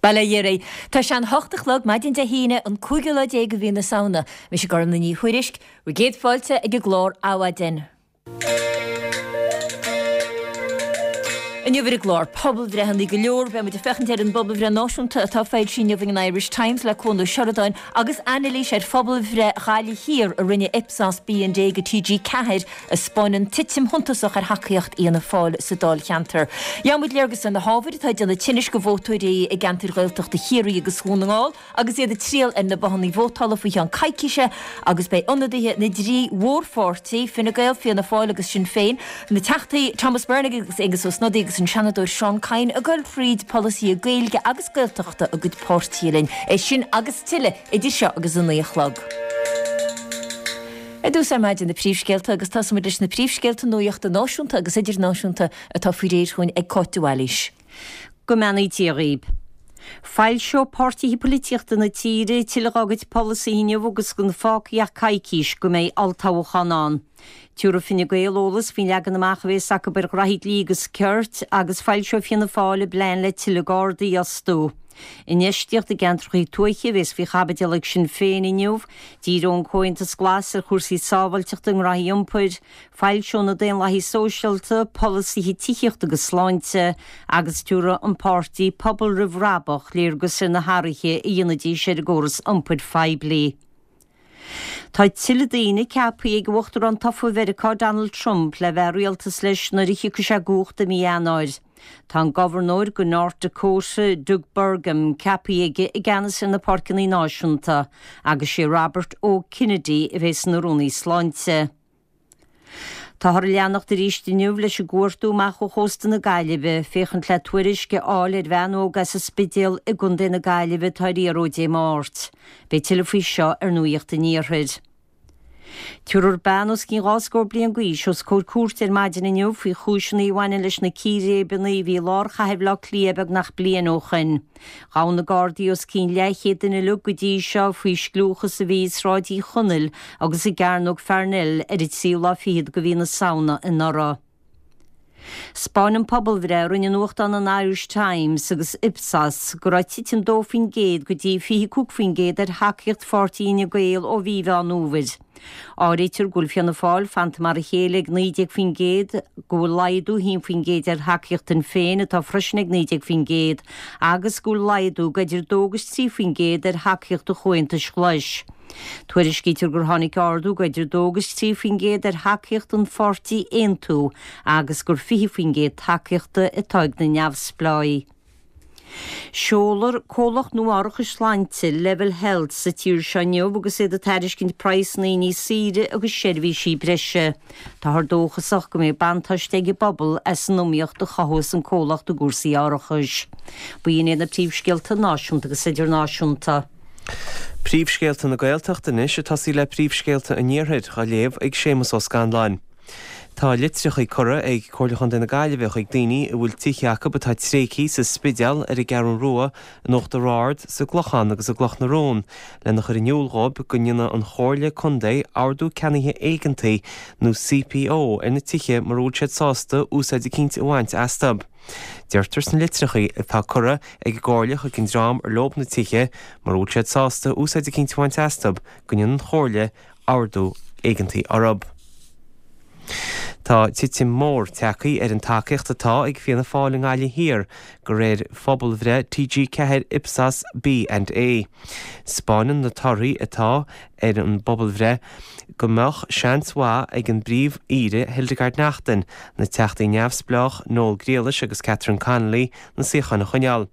Bail ó Dhia oraibh. Tá sé an hocht a chlog maidin Dé hAoine, an cúigiú lá déag de mhí na Samhna. Mise Gormlaith Ní Thuairisg, bhur gcéad fáilte ag an gclár Adhmhaidin. Inniu ar an gclár, pobalbhreitheanna go leor, beidh muid ag féachaint ar an bpobalbhreith náisiúnta atá foilsithe inniu ag an Irish Times le Cuan Ó Seireadáin agus anailís ar phobalbhreith Ghaillimh Thiar a rinne Ipsos B&A do TG4 a 'spáineann titim shuntasach ar thacaíocht Fhianna Fáil sa dáilcheantar. Gheobhaidh muid léargas ar na hábhair atá ag déanamh tinnis do vótóirí i gceantair Ghaeltachta Chiarraí agus Dhún na nGall agus iad ag triall ar na bothanna vótála faoi cheann coicíse agus beidh ionadaithe na dtrí mhórpháirtí, Fine Gael, Fianna Fáil agus Sinn Féin, na Teachtaí Thomas Byrne agus Aengus Ó Snodaigh agus an Seanadóir Seán Kyne ag dul fríd polasaithe Gaeilge agus Gaeltachta a gcuid páirtithe linn. É sin agus tuilleadh idir seo agus a 9 a chlog. Ar dtús ar maidin na príomhscéalta agus tosóimid leis na príomhscéalta nuachta náisiúnta agus idirnáisiúnta atá faoi réir chugainn ag Cáit de Bhailís. Go mbeannaí Dia dhaoib. Foilseoidh páirtithe polaitíochta na tíre tuilleadh dá gcuid polasaithe inniu agus gan fágtha ach coicís go mbeidh olltoghchán ann. Tabharfaidh Fine Gael eolas faoin leagan amach a bhéas acu ar ghraithí dlí agus cirt agus foilseoidh Fianna Fáil a bplean le tuilleadh Gardaí a fhostú. Infheistíocht i gceantracha tuaithe a bhéas faoi chaibidil ag Sinn Féin inniu. Díreoidh an Comhaontas Glas ar chúrsaí sábháilteachta i ngraithí iompair, foilseoidh na Daonlathaigh Sóisialta polasaithe tithíochta agus sláinte agus tabharfaidh an páirtí Pobal Roimh Bhrabach léargas ar na hathruithe a dhéanfaidís ar an gcóras iompair phoiblí. Tá tuilleadh daoine ceaptha ag Uachtarán tofa Mheiriceá Donald Trump le bheith i rialtas leis nuair a thiocfaidh sé i gcumhacht i mí Eanáir. Tá an Gobharnóir go North Dakota, Doug Burgum, ceaptha aige i gceannas ar na Páirceanna Náisiúnta agus sé Robert O. Kennedy a bheas ina Rúnaí Sláinte. Táthar ag leanacht arís inniu leis an gcuartú amach ó chósta na Gaillimhe, féachaint le tuairisc a fháil ar bhean óg as an Spidéal i gContae na Gaillimhe atá ar iarraidh ó Dé Máirt. Beidh tuilleadh faoi seo ar Nuacht an Iarthair. Tabharfar bean os cionn dhá scór bliain d'aois os comhair cúirte ar maidin inniu faoi chúiseanna a bhaineann leis na círéibeanna a bhí i lár chathair Bhaile Átha Cliath beagnach bliain ó shoin. Ghabh na Gardaí os cionn leathchéad duine uilig go dtí seo faoi scliúchas a bhí i Sráid Uí Chonaill agus i gCearnóg Pharnell ar an tríú lá fichead de mhí na Samhna anuraidh. 'Spáineann pobalbhreith a rinne nuachtán an Irish Times agus Ipsos go raibh titim 2% go dtí 25% ar thacaíocht pháirtí Fhine Gael ó mhí Mheán Fhómhair. Áirítear go bhfuil Fianna Fáil fanta mar a chéile ag 19%, go bhfuil laghdú 1% ar thacaíocht Shinn Féin, atá freisin ag 19%, agus go bhfuil laghdú go idir 2 agus 3% ar thacaíocht an Chomhaontais Ghlais. Tuairiscítear gur tháinig ardú go idir 2 agus 3% ar thacaíocht an pháirtí Aontú agus gur 20% tacaíochta atá ag na neamhspleáigh. Seolfar comhlacht nua árachais sláinte, Level Health, sa tír seo inniu agus iad ag tairiscint praghsanna níos saoire agus seirbhísí breise. Táthar dóchasach go mbeidh buntáiste ag an bpobal as an iomaíocht a chothós an comhlacht i gcúrsaí árachais. B'in iad na príomhscéalta náisiúnta agus idirnáisiúnta. Príomhscéalta na Gaeltachta anois ag tosaí le príomhscéalta an Iarthair, á léamh ag Séamus Ó Scanláin. Tá litreacha curtha ag Comhairle Chontae na Gaillimhe chuig daoine a bhfuil tithe acu atá tréigthe sa Spidéal, ar an gCeathrú Rua, in Uachtar Ard, sa gClochán agus i gCloch na Rón, lena chur in iúl dhóibh go ndéanfaidh an Chomhairle Contae Ordú Ceannaithe Éigeantaigh nó CPO ar na tithe mura bhfuil siad sásta úsáid eicínt a bhaint astu. Deirtear sna litreacha atá curtha ag an gComhairle chuig an dream ar leob na tithe, mura bhfuil siad sásta úsáid eicínt a bhaint astu, go ndéanfaidh an Chomhairle ordú éigeantaí orthu. Tá titim mhór tagtha ar an tacaíocht atá ag Fianna Fáil i nGaillimh Thiar, de réir phobalbhreith TG4 Ipsos B and A. 'Spáineann na torthaí atá ar an bpobalbhreith go mbeadh seans mhaith ag an bPríomh-Aoire Hildegarde Naughton, na Teachtaí Neamhspleách Noel Grealish agus Catherine Connolly na suíocháin a choinneáil.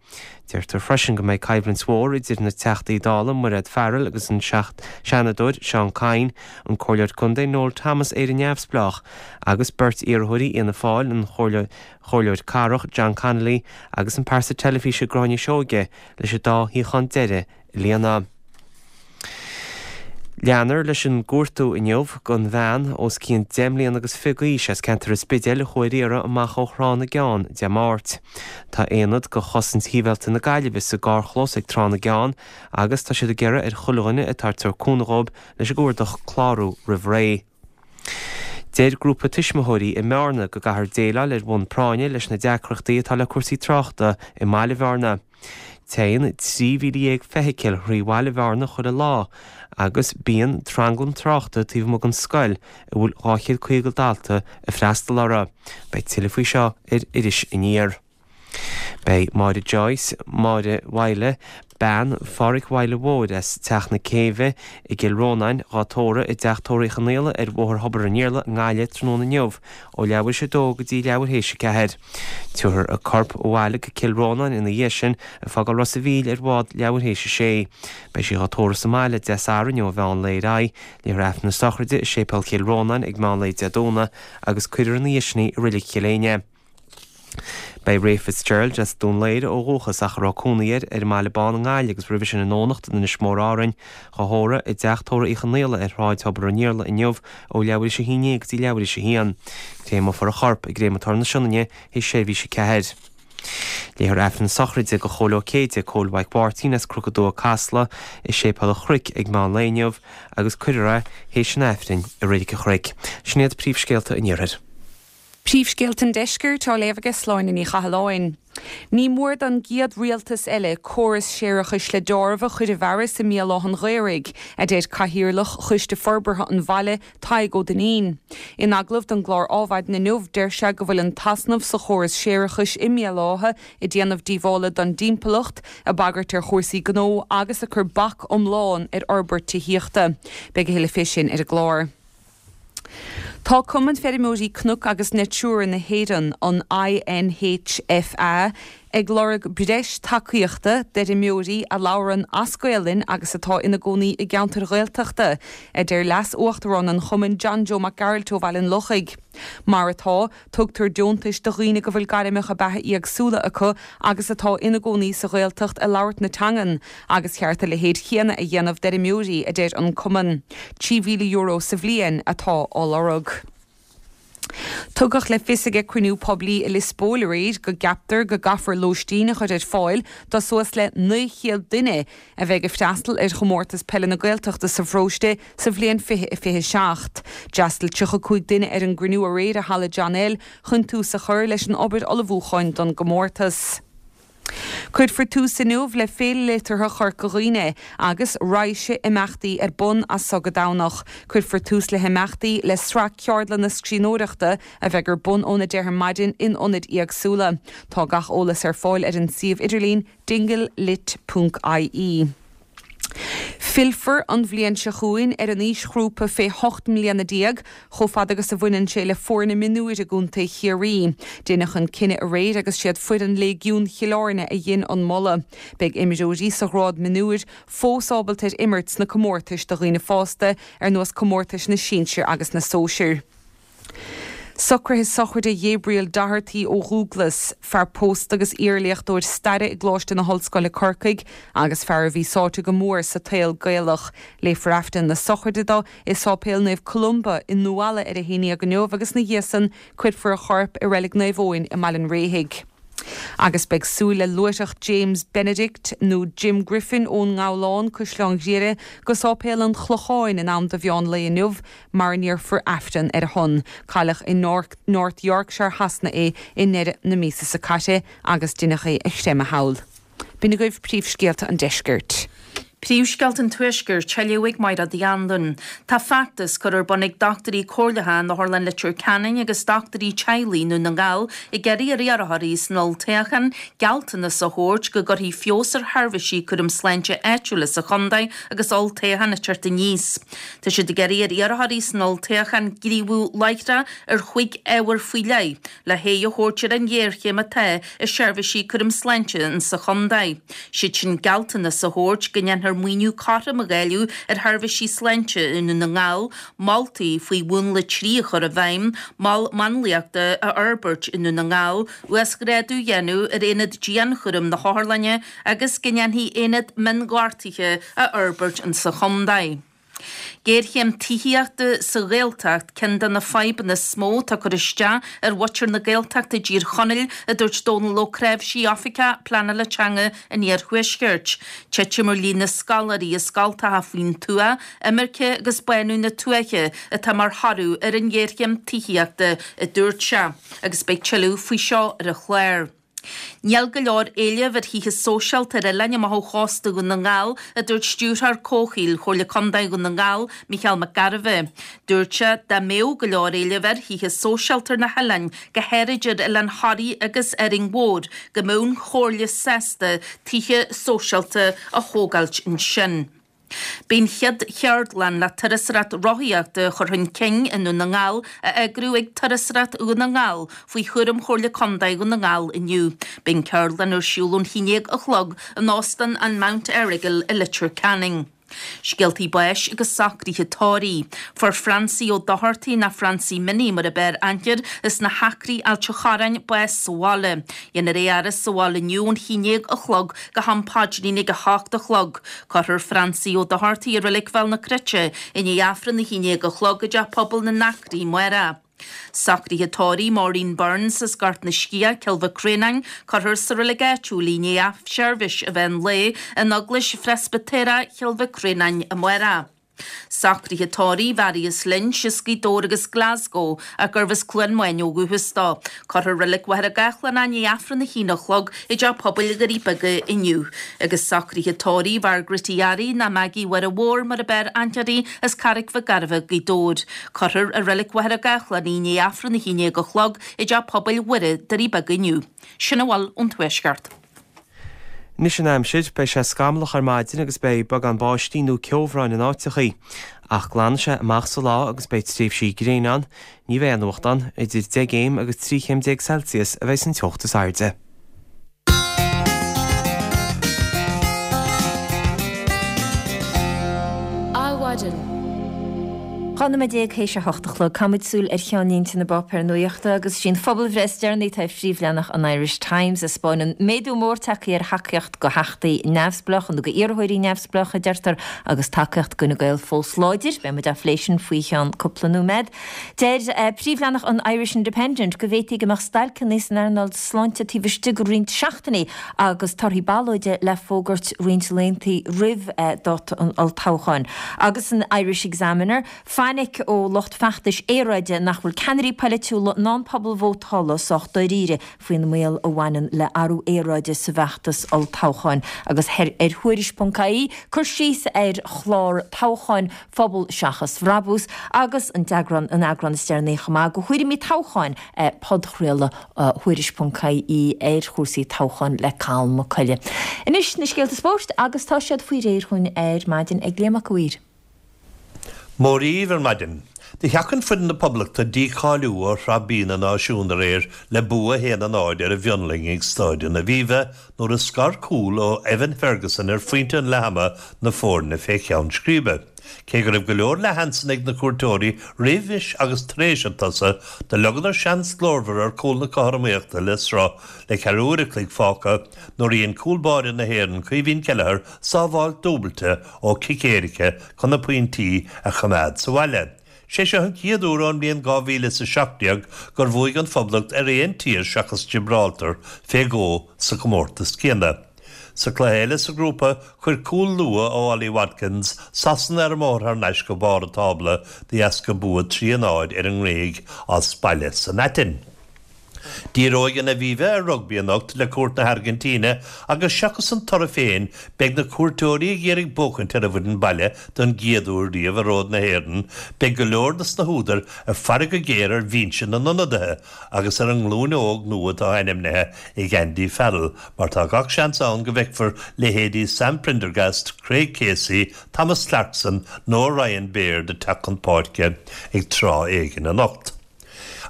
Deirtear freisin go mbeidh coimhlint mhór idir na Teachtaí Dála Mairéad Farrell agus an Seanadóir Seán Kyne, an Comhairleoir Contae Noel Thomas, Éire Neamhspleách, agus beirt iarrthóirí Fhianna Fáil, an Comhairleoir Cathrach John Connolly agus an pearsa teilifíse Gráinne Seoige leis an dá shuíochán deiridh a líonadh. Leanfar leis an gcuartú inniu don bhean os cionn 10 mbliana agus 20 d'aois as ceantar an Spidéil a chuaigh ar iarraidh amach ó Thrá na gCeann Dé Máirt. Tá aonad de Chosaint Shibhialta na Gaillimhe sa gcarrchlós ag Trá na gCeann agus tá siad ag iarraidh ar chuile dhuine atá ag tabhairt cúnamh dhóibh leis an gcuardach clárú roimh ré. Deir grúpa tuismitheoirí i mBearna go gcaithfear déileáil ar bhonn práinne leis na deacrachtaí atá le cúrsaí tráchta i mbaile Bhearna. Téann 13,000 feithicil thrí bhaile Bhearna chuile lá agus bíonn tranglam tráchta taobh amuigh den scoil a bhfuil 250 dalta ag freastal uirthi. Beidh tuilleadh faoi seo ar Iris Aniar. Beidh Máire Joyce, Máire Mhaidhle, bean Phádhraic Mhaidhle Mhóir as Teach na Céibhe i gCill Rónáin, dhá tórramh i dTeach Tórraimh Uí Chonaola ar Bhóthar Thobar an Iarla i nGaillimh tráthnóna inniu ó leathuair théis a dó go dtí leathuair théis a ceathair. Tabharfar a corp abhaile go Cill Rónáin ina dhiaidh sin ag fágáil Ros a' Mhíl ar bhád leathuair théis a sé. Beidh sí dhá tórramh sa mbaile Dé Sathairn ó mheán lae ar aghaidh. Léifear Aifreann na sochraide i Séipéal Chill Rónáin ag meán lae Dé Domhnaigh agus cuirfear ina dhiaidh sin í i Reilig Chill Éinne. Beidh Ray Fitzgerald as Dún Laoghaire ó dhúchas ach a raibh cónaí air ar an mBaile Bán i nGaillimh agus roimhe sin i nDomhnach in Inis Mór Árainn, dhá thórramh i dTeach Tórraimh Uí Chonaola ar Shráid Thobar an Iarla inniu ó leathuair théis a haon déag go dtí leathuair théis a haon. Créamófar a chorp i gCréamatóir na Sionainne théis seirbhís a ceathair. Léifear Aifreann na sochraide do Chóil Ó Céide, Cóil Mhaidhc Mháirtín as Cnoc an Dúiche Casla i Séipéal an Chnoic ag meán lae inniu agus cuirfear é théis an Aifrinn i Reilig an Chnoic. Sin iad príomhscéalta an Iarthair. Príomhscéalta an Deiscirt á léamh aige Sláine Ní Chathalláin. Ní mór don gcéad rialtas eile córas séarachais le deáramh a chur i bhfearas i mBéal Átha'n Ghaorthaidh, a deir Cathaoirleach Choiste Forbartha an bhaile, Tadhg Ó Duinnín. In agallamh don gclár Ádhmhaidin inniu, deir sé go bhfuil an t-easnamh sa chóras séarachais i mBéal Átha ag déanamh díobhála don dtimpeallacht, ag bagairt ar chúrsaí gnó agus ag cur bac iomlán ar fhorbairt tithíochta. Beidh a thuilleadh fé sin ar an gclár. Tá Cumann Feirmeoirí Cnoc agus Natura na hÉireann, an INHFA, ag lorg breis tacaíochta d'fheirmeoirí a labhrann as Gaolainn agus atá ina gcónaí i gceantair Ghaeltachta, a deir Leas-Uachtarán an chumainn John Joe Mac Gearailt ó Bhaile an Lochaigh. Mar atá, Tugtar deontais do dhaoine go bhfuil gairmeacha beatha éagsúla acu agus atá ina gcónaí sa Ghaeltacht ag labhairt na teangan, agus cheart a leithéid chéanna a dhéanamh d'fheirmeoirí, a deir an cumann. €3,000 sa bhliain atá á lorg. Tugadh le fios ag cruinniú poiblí i Lios Póil aréir go gceaptar go gcaithfear lóistín a chur ar fáil do suas le 900 duine a bheidh ag freastal ar Chomórtas Peile na Gaeltachta sa pharóiste sa bhliain 2027. D'fhreastail 35 duine ar an gcruinniú aréir i Halla John L chun tús a chur leis an obair ullmhúcháin don gcomórtas. Cuirfear tús inniu le Féile Liteartha Chorca Dhuibhne agus raidhse imeachtaí ar bun as so go Domhnach. Cuirfear tús le himeachtaí le sraith ceardlanna scríbhneoireachta a bheidh ar bun óna 10 ar maidin in ionaid éagsúla. Tá gach eolas ar fáil ar an suíomh idirlín dinglelit ponc ie. Fillfear an bhliain seo chugainn ar an aoisghrúpa fé 18 mbliana chomh fada agus a bhaineann sé le foirne mionúir i gContae Chiarraí. Deineadh an cinneadh aréir agus siad foireann Léigiún Chill Airne a dhein an moladh. Beidh imreoirí sa ghrád mionúir fós ábalta ar imirt sna comórtais do dhaoine fásta ar nós comórtais na sinsir agus na sóisir. Socruithe sochraide Ghabriel Doherty ó Dhúglas, fear pósta agus iarléachtóir staire i gColáiste na hOllscoile Corcaigh agus fear a bhí sáite go mór sa tsaol Gaelach. Léifear Aifreann na sochraide dó i Sáipéal Naomh Columba i nDumhalla ar a haon dhéag inniu agus ina dhiaidh san cuirfear a chorp i Reilig Naomh Eoin i mBaile an Réithigh. Agus beidh súil le luaithreach James Benedict, nó Jim Griffin ón nGabhlán, Caisleán Ghriaire, go Sáipéal an Chlocháin in am do mheán lae inniu mar a ndéarfar Aifreann ar a shon. Cailleadh i North Yorkshire Shasana é i ndeireadh na míosa seo caite agus deineadh é a chreimeadh thall. B'in agaibh príomhscéalta an deiscirt. Príomhscéalta an Tuaiscirt, á léamh ag Máire Uí Anluain. Tá feachtas curtha ar bun ag dochtúirí comhairleacha in Otharlann Leitir Ceanainn agus dochtúirí teaghlaigh i nDún na nGall ag iarraidh ar iarrthóirí san olltoghchán gealltanas a thabhairt go gcuirfí feabhas ar sheirbhísí cúram sláinte áitiúla sa chontae agus olltoghchán ag teacht aníos. Tá siad ag iarraidh ar iarrthóirí san olltoghchán gníomhú láithreach ar chúig ábhar faoi leith le haghaidh a thabhairt ar an ghéarchéim atá i seirbhísí cúram sláinte insa chontae. Siad sin gealltanas a thabhairt go ndéanfar maoiniú cothrom a dháileadh ar sheirbhísí sláinte i nDún na nGall, moltaí faoi Mhúnla 3 a chur i bhfeidhm, mol máinliachta a fhorbairt i nDún na nGall, uasghrádú a dhéanamh ar aonad dianchúraim na hotharlainne agus go ndéanfaí aonad mionghortuithe a fhorbairt insa chontae. Géarchéim tithíochta sa Ghaeltacht ceann de na fadhbanna is mó atá ag cur isteach ar mhuintir na Gaeltachta i dTír Chonaill, a dúirt Dónal Ó Cnáimhsí, Oifigeach Pleanála Teanga an Iarthuaiscirt. Titim ar líon na scoláirí i scoltacha faoin tuath, imirce agus bánú na tuaithe atá mar thoradh ar an ghéarchéim tithíochta, a dúirt sé. Agus beidh tuilleadh faoi seo ar an chlár. Níl go leor éilimh ar thithe sóisialta ar oileáin amach ó chósta Dhún na nGall, a dúirt Stiúrthóir Comhshaoil Chomhairle Contae Dhún na nGall, Micheál Mac Gairbheith. Dúirt sé dá mbeadh go leor éilimh ar thithe sóisialta ar na hoileáin, go háirid ar Oileán Thoraí agus Árainn Mhór, go mbeadh an Chomhairle sásta tithe sóisialta a thógáilt ansin. Beidh an chéad cheardlann le turasóireacht rothaíochta a chur chun cinn i nDún na nGall á eagrú ag Turasóireacht Dhún na nGall faoi chúram Chomhairle Contae Dhún na nGall inniu. Beidh an ceardlann ar siúl ón 11 a chlog in Óstán an Mount Errigal i Leitir Ceanainn. Scéaltaí báis agus socruithe tórraimh. Fuair Francie Ó Dochartaigh, nó Francie Minnie mar a b'fhearr aithne air, as na hAcraí, Ailt a' Chorráin, bás sa bhaile. Dhéanfar é a fhaire sa bhaile inniu ón 11 a chlog go ham paidrín ag a hocht a chlog. Cuirfear Francie Ó Dochartaigh i Reilig Bhéal na Cruite i ndiaidh Aifreann a 11 a chlog i dTeach Pobail na nAcraí amárach. Socruithe tórraimh Maureen Burns as Gort na Sciath, Cill Mhic Réanáin, cuirfear sa reilig áitiúil í i ndiaidh seirbhís an mheán lae in Eaglais Phreispitéireach Chill Mhic Réanáin amárach. Socruithe tórraimh Mharius Lynch as Gaoth Dobhair agus Glasgow ach gurbh as Cluain Maine ó dhúchas dó. Cuirfear i Reilig Mhachaire Gathlán é i ndiaidh Aifreann a haon a chlog i dTeach Pobail Dhoirí Beaga inniu. Agus socruithe tórraimh Mhargaret Uí Fhearraigh ná Maggie Mháire Mhór mar a b'fhearr aithne uirthi as Carraig Mhic Gairbheith, Gaoth Dobhair. Cuirfear i Reilig Mhachaire Gathlán í i ndiaidh Aifreann a haon déag a chlog i dTeach Pobail Mhuire, Doirí Beaga inniu. Sin a bhfuil ón Tuaisceart. Anois an aimsir, beidh sé scamallach ar maidin agus beidh beagán báistí nó ceobhráin in áiteachaí. Ach glanfaidh sé amach sa lá agus beidh tréimhsí gréine ann. Ní bheidh aon fhuacht ann. Idir 10 gcéim agus 13 chéim Celsius a bheidh an teocht is airde. Adhmhaidin. 12 nóiméad théis a hocht a chlog, caithfimid súil ar cheannlínte na bpáipéar nuachta agus is í an phobalbhreith is deireanaí atá ar phríomhleathanach an Irish Times a 'spáineann méadú mór tagtha ar thacaíocht do theachtaí neamhspleácha nó do iarrthóirí neamhspleácha, a deirtear, agus tacaíocht d'Fhine Gael fós láidir. Beidh muid á phlé sin faoi cheann cúpla nóiméad. Deir príomhleathanach an Irish Independent go bhféadfaí go mbeadh stailceanna san earnáil sláinte taobh istigh de roinnt seachtainí agus torthaí ballóide le fógairt roinnt laethanta roimh dáta an olltoghcháin. Agus san Irish Examiner, fainic ó lucht feachtais aeráide nach bhfuil ceannairí polaitiúla ná an pobal vótála sách dáiríre faoin mbaol a bhaineann le athrú aeráide sa bhfeachtas olltoghcháin. Agus ar Thuairisc.ie, cur síos ar chlár toghcháin Phobal Seachas Bhrabús agus an t-eagrán, an eagrán is deireanaí chomh maith de thuairimí toghcháin, podchraoladh Thuairisc.ie ar chúrsaí toghcháin le Cathal Mac Coille. Anois na scéalta spóirt agus tá siad faoi réir dhúinn ar maidin ag Liam Mac a' Mhaoir. Mora dhaoibh ar maidin. Do sheachain foireann na Poblachta dícháiliú ó Shraith B na Náisiún aréir le bua 1-0 ar an bhFionlainn ag Stáid an Aviva nuair a scar cúl ó Evan Ferguson ar phointe an leath-ama na foirne fé cheann scríbe. Cé go raibh go leor leathsheansanna ag na cuairteoirí roimhis agus tar éis an tsosa, do leagadar seans glórmhar ar chúl na cothromaíochta le sruth le ceathrú uair a chloig fágtha nuair a dhein cúl báire na hÉireann Caoimhín Kelleher sábháilt dúbailte ó chic éirice chun na pointí a choimeád sa bhaile. Sé seo an chéad uair ón mbliain 2017 gur bhuaigh an Phoblacht ar aon tír seachas Giobráltar fé dhó sa chomórtas céanna. Sa chluiche eile sa ghrúpa, chuir cúl luath ó Ollie Watkins Sasana ar an mbóthar thar n-ais go barr an tábla de dheasca bua 3 a 0 ar an nGréig as baile san Aithin. Díreoidh an Aviva ar rugbaí anocht le cuairt na hAirgintíne agus seachas an toradh féin, beidh na cuairteoirí ag iarraidh buachaint ar an bhfoireann baile don gcéad uair riamh ar fhód na hÉireann. Beidh go leor dos na húdair ag faire go géar ar bhinse na n-ionadaithe agus ar an nglúin óg nua atá ainmnithe ag Andy Farrell mar tá gach seans ann go bhfeicfear leithéidí Sam Prendergast, Craig Casey, Thomas Clarkson nó Ryan Baird ag teacht chun páirce ag tráth éigin anocht.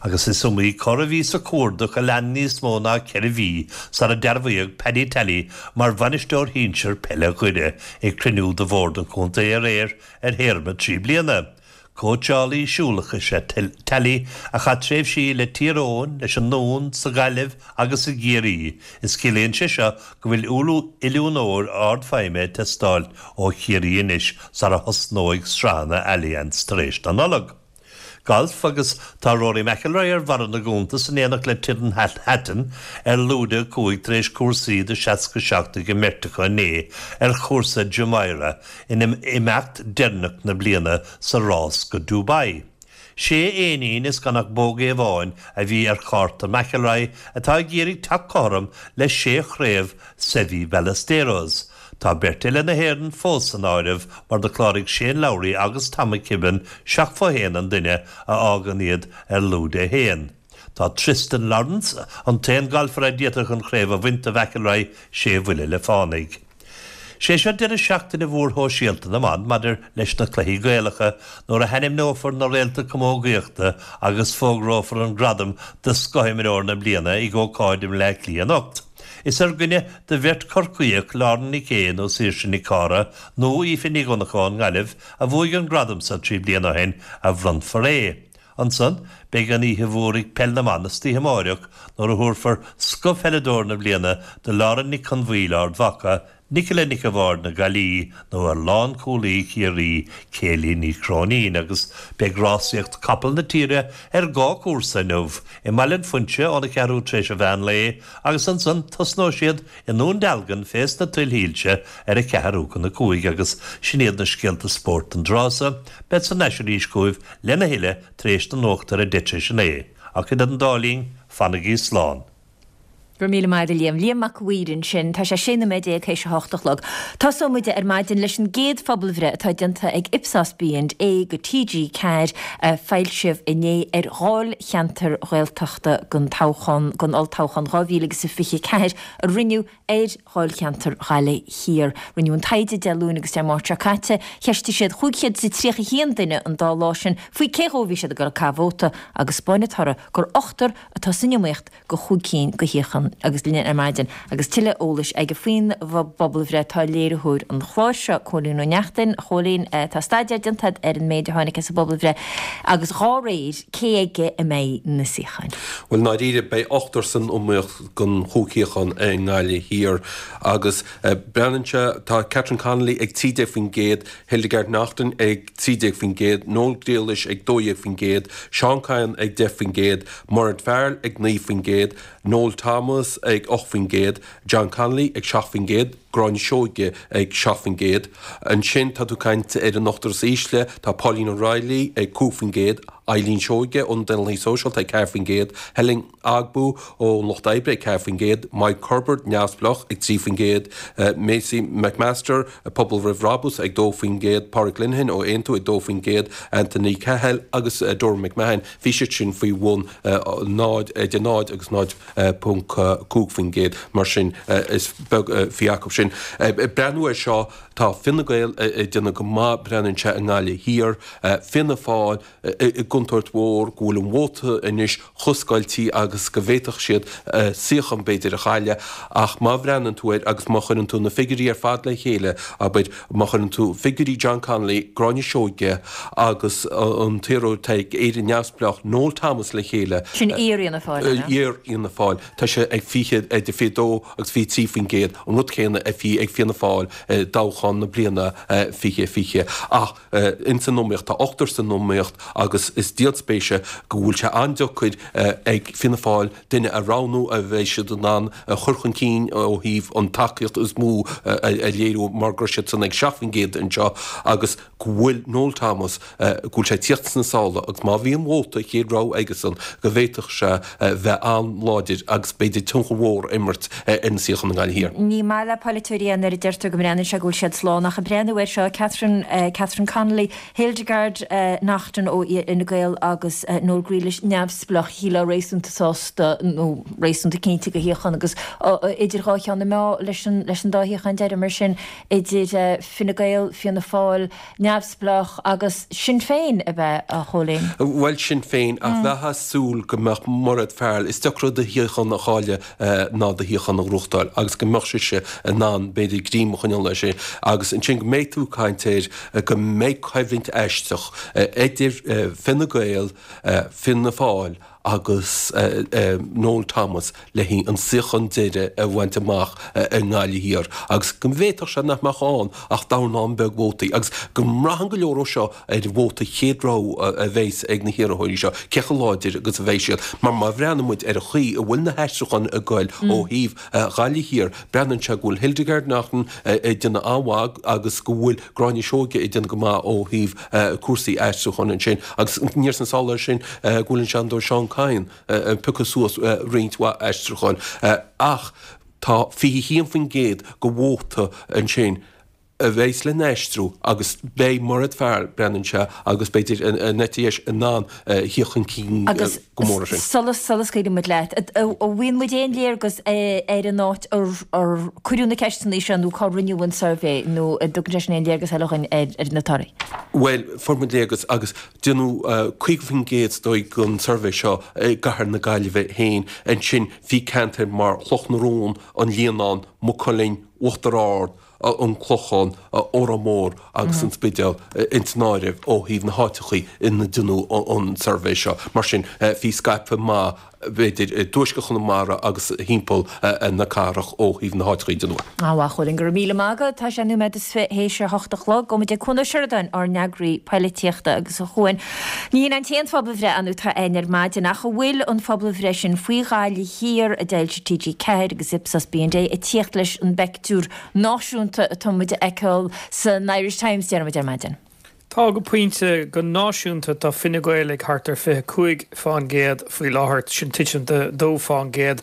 Agus is iomaí cor a bhí sa chuardach a lean níos mó ná 4 mhí sara dearbhaíodh Paddy Tally mar bhainisteoir shinsir peile Dhoire ag cruinniú de bhord an chontae aréir ar théarma 3 bliana. Cóitseálaí siúlach is ea Tally a chaith tréimhsí le Tír Eoghain, leis an nDún, sa Ghaillimh agus i gCiarraí. Is ciallaíonn sé seo go bhfuil oiliúnóir ardfheidhme ag teastáil ó Chiarraí anois sara thosnóidh sraitheanna Allianz tar éis na Nollag. Galf agus tá Rory McIlroy ar bharra na gcuntas in éineacht le Tyrrell Hatton ar lúide 5 tar éis cúrsaí de 67 ag an mbeirt acu inné ar chúrsa Jumeirah in imeacht deireanach na bliana sa rás go Dubai. Sé éinín is gan ach bógaí amháin a bhí ar chárta McIlroy atá ag iarraidh teacht cothrom le sé chraobh Seve Ballesteros. Tá beirt eile na hÉireann fós san áireamh mar do chláraigh Shane Lowry agus Tom McKibbin 7 fo 1 an duine a fhágann iad ar lúide 1. Tá Thriston Lawrence, an t-aon galfaire a d'fhéadfadh an chraobh a bhaint de McIlroy, sé bhuille le fánaidh. Sé seo deireadh seachtaine mhór shóisialta na mban maidir leis na cluichí Gaelacha nuair a hainmneofar na réalta camógaíochta agus fógrófar an gradam do scothimreoir na bliana ag ócáid i mBleá Cliath anocht. Is ar dhuine de bheirt Chorcaíoch, Lauren Nic Aodha nó Saoirse Nic Cára nó Aoife Ní Dhonnchadha ón nGaillimh a bhuaigh an gradam seo 3 bliana ó shin, a bhronnfar é. Ansan, beidh an oíche mhór ag Peil na mBan istoíche amáireach nuair a thabharfar Scothpheileadóir na Bliana do Lauren Nic Con Bhaoill, Ard Mhacha, Nicola Nic a' Bhaird na Gaillí nó ar lánchúlaí Chiarraí, Kayleigh Ní Chróinín agus beidh rásaíocht capall na tíre ar dhá chúrsa inniu, i mBaile an Phuinse óna cheathrú tar éis an mheán lae agus ansan tosnóidh siad i nDún Dealgan fés na tuilthílte ar a ceathrú chun a cúig agus sin iad na scéalta spóirt don dtráth so. Bead thar n-ais arís chugaibh lena thuilleadh tar éis na nuachta ar a deich tar éis a naoi. Ach idir an dá linn, fanaigí slán. Go raibh míle maith agat a Liam. Liam Mac a' Mhaoir ansin. Tá sé 16 nóiméad théis a hocht a chlog. Tosóidh muid ar maidin leis an gcéad phobalbhreith atá déanta ag Ipsos B&A go TG4 a foilsíodh inné ar dháilcheantair Ghaeltachta don toghchán, don olltoghchán 2024 a rinneadh ar dháilcheantar Ghaillimh Thiar. Rinneadh an taighde Dé Luain agus Dé Máirt seo caite. Cheistigh siad 531 duine an dá lá sin faoi cé dhó a bhí siad ag dul ag caitheamh vóta agus 'spáin an toradh gur ochtar atá san iomaíocht go chúig cinn de shuíocháin agus linn ar maidin agus tuilleadh eolais aige faoin bpobalbhreith tá léiritheoir an chláir seo, Cóilín Ó Neachtain. A Chóilín, tá staidéar déanta agat ar an méid a tháinig as an bpobalbhreith agus dhá réir, cé aige a mbeidh na suíocháin? Bhuel, i ndáiríre, beidh ochtar san iomaíocht don chúig shuíochán i nGaillimh Thiar agus breathnaíonn sé, tá Catherine Connolly ag 13%, Hildegarde Naughton ag 13%, Noel Grealish ag 12%, Seán Kyne ag 10%, Mairéad Farrell ag 9%, Noel Thomas ag 8%, John Connolly ag 7%, Gráinne Seoige ag 7%. Ansin tá tú ag caint ar an ochtar is ísle, tá Pauline O'Reilly ag 5%, Eileen Seoige ón Daonlathaí Sóisialta ag 4%, Helen Ogbu ón Lucht Oibre ag 4%, Mike Herbert, Neamhspleách, ag 3%, Maisie McMaster, Pobal Roimh Bhrabús, ag 2%, Pádraig Lenihan ó Aontú ag 2%, Anthony Cahill agus Dora McMahon, bhí siad sin faoi bhun 0, idir 0 agus 0.5%, mar sin is beag a bhí acu sin. Ag breathnú air seo, tá Fine Gael ag déanamh go maith, breathnaíonn sé i nGaillimh Thiar, Fianna Fáil, i gcontúirt mhór go bhfuil an vóta anois chomh scoiltí agus go bhféadfadh siad suíochán b'fhéidir a chailleadh ach má bhreathnaíonn tú air agus má chuireann tú na figiúirí ar fad le chéile, abair, má chuireann tú figiúirí John Connolly, Gráinne Seoige agus an t-iarrthóir atá ag Éire Neamhspleách, Noel Thomas le chéile, Sin iar-Fhianna Fáil, an ea? Iar-Fhianna Fáil. Tá sé ag 20, idir 22 agus 23%, an rud céanna a bhí ag Fianna Fáil i dtoghchán na bliana 2020. Ach. Ins an iomaíocht, tá ochtar san iomaíocht agus is díol spéise go bhfuil sé an-deacair ag Fianna Fáil duine a roghnú a bheidh siad in ann a chur chun cinn ó thaobh an tacaíocht is mó a léiriú mar go raibh siadsan ag 7% anseo agus go bhfuil Noel Thomas, go bhfuil sé ag tíocht sna sála agus má bhíonn vóta chéad rogha aigesan go bhféadfadh sé bheith an-láidir agus b'fhéidir tionchar mhór a imirt ar na suíocháin i nGaillimh Thiar. Ní maith le polaiteoirí é nuair a deirtear go mbreathnaíonn sé go bhfuil siad slán ach ag breathnú air seo, Catherine, Catherine Connolly, Hildegarde Naughton ó Fhine Gael agus Noel Grealish neamhspleách, shílfeá réasúnta sásta nó réasúnta cinnte de shuíochán agus idir dhá cheann na meá leis an leis an dá shuíochán deiridh mar sin idir Fine Gael, Fianna Fáil, Neamhspleách agus Sinn Féin ab ea, a Chóilín? Bhuel, Sinn Féin, ach bheifeá ag súil go mbeadh Mairéad Farrell, is deacra do shuíochán a chailleadh ná do shuíochán a ghnóthachtáil, agus go mbeadh sise in ann, b'fhéidir, greim a choinneáil air sin, agus ansin go mbeidh tú ag caint air go mbeidh coimhlint aisteach idir Fine Gael, Fianna Fáil. agus Noel Thomas le haghaidh an suíochán deiridh a bhaint amach i nGaillimh Thiar agus go bhféadfadh sé nach mbeadh ann ach dornán beag vótaí agus go mbraitheann go leor ó seo ar vóta chéad rogha a bheas ag na hiarrthóirí seo, cé chomh láidir agus a bheidh siad. Mar má bhreathnaíonn muid ar an chaoi a bhfuil na haistriúcháin ag goil ó thaobh Ghaillimh Thiar, breathnaíonn sé go bhfuil Hildegarde Naughton ag déanamh an-mhaith agus go bhfuil Gráinne Seoige ag déanamh go maith ó thaobh cúrsaí aistriúcháin ansin. Agus aniar sna sála air sin go bhfuil an Seanadóir Seán Kyne ag piocadh suas roinnt mhaith aistriúcháin. Ach tá 21% de vóta ansin a bheas le n-aistriú agus beidh Mairéad Farrell, breathnaíonn sé, agus b'fhéidir an eite dheis in ann a thíocht chun cinn go mór ansin. Sula sula scaoileann muid leat, an bhfaigheann muid aon léargas ar an áit ar cuireadh na ceisteanna seo nó cá rinneadh an suirbhé nó an dtugann sé sin aon léargas eile dhúinn ar na torthaí? Bhuel, fuair muid léargas agus déanadh 50% is dóigh den suirbhé seo i gcathair na Gaillimhe féin. Ansin bhí ceantair mar Chloch na Rón, An Líonán, Maigh Cuilinn, Uachtar Ard, an Clochán, Órán Mór agus an Spidéal ins an áireamh ó thaobh na háiteachaí ina deineadh an suirbhé seo. Mar sin, bhí scaipthe maith, b'fhéidir, i dtuaisceart Chonamara agus thimpeall na cathrach ó thaobh na háiteachaí a deineadh é. A Chuain, go raibh míle maith agat. Tá sé nóiméad is fi théis a hocht a chlog. Gabhfaidh muid ag Cuan Ó Seireadáin, ár n-eagraí poilitíochta agus a Chuain, ní hin an t-aon phobalbhreith ann atá againn ar maidin ach an bhfuil an phobalbhreith sin faoi Ghaillimh Thiar a d'fhoilsigh TG4 agus Ipsos B&A ag tíocht leis an bpeictiúr náisiúnta atá muid a fheiceáil san Irish Times, déarfaidh muid, ar maidin. Tá, go pointe. Go náisiúnta tá Fine Gael ag thart ar 25% faoi láthair, sin titim de 2%.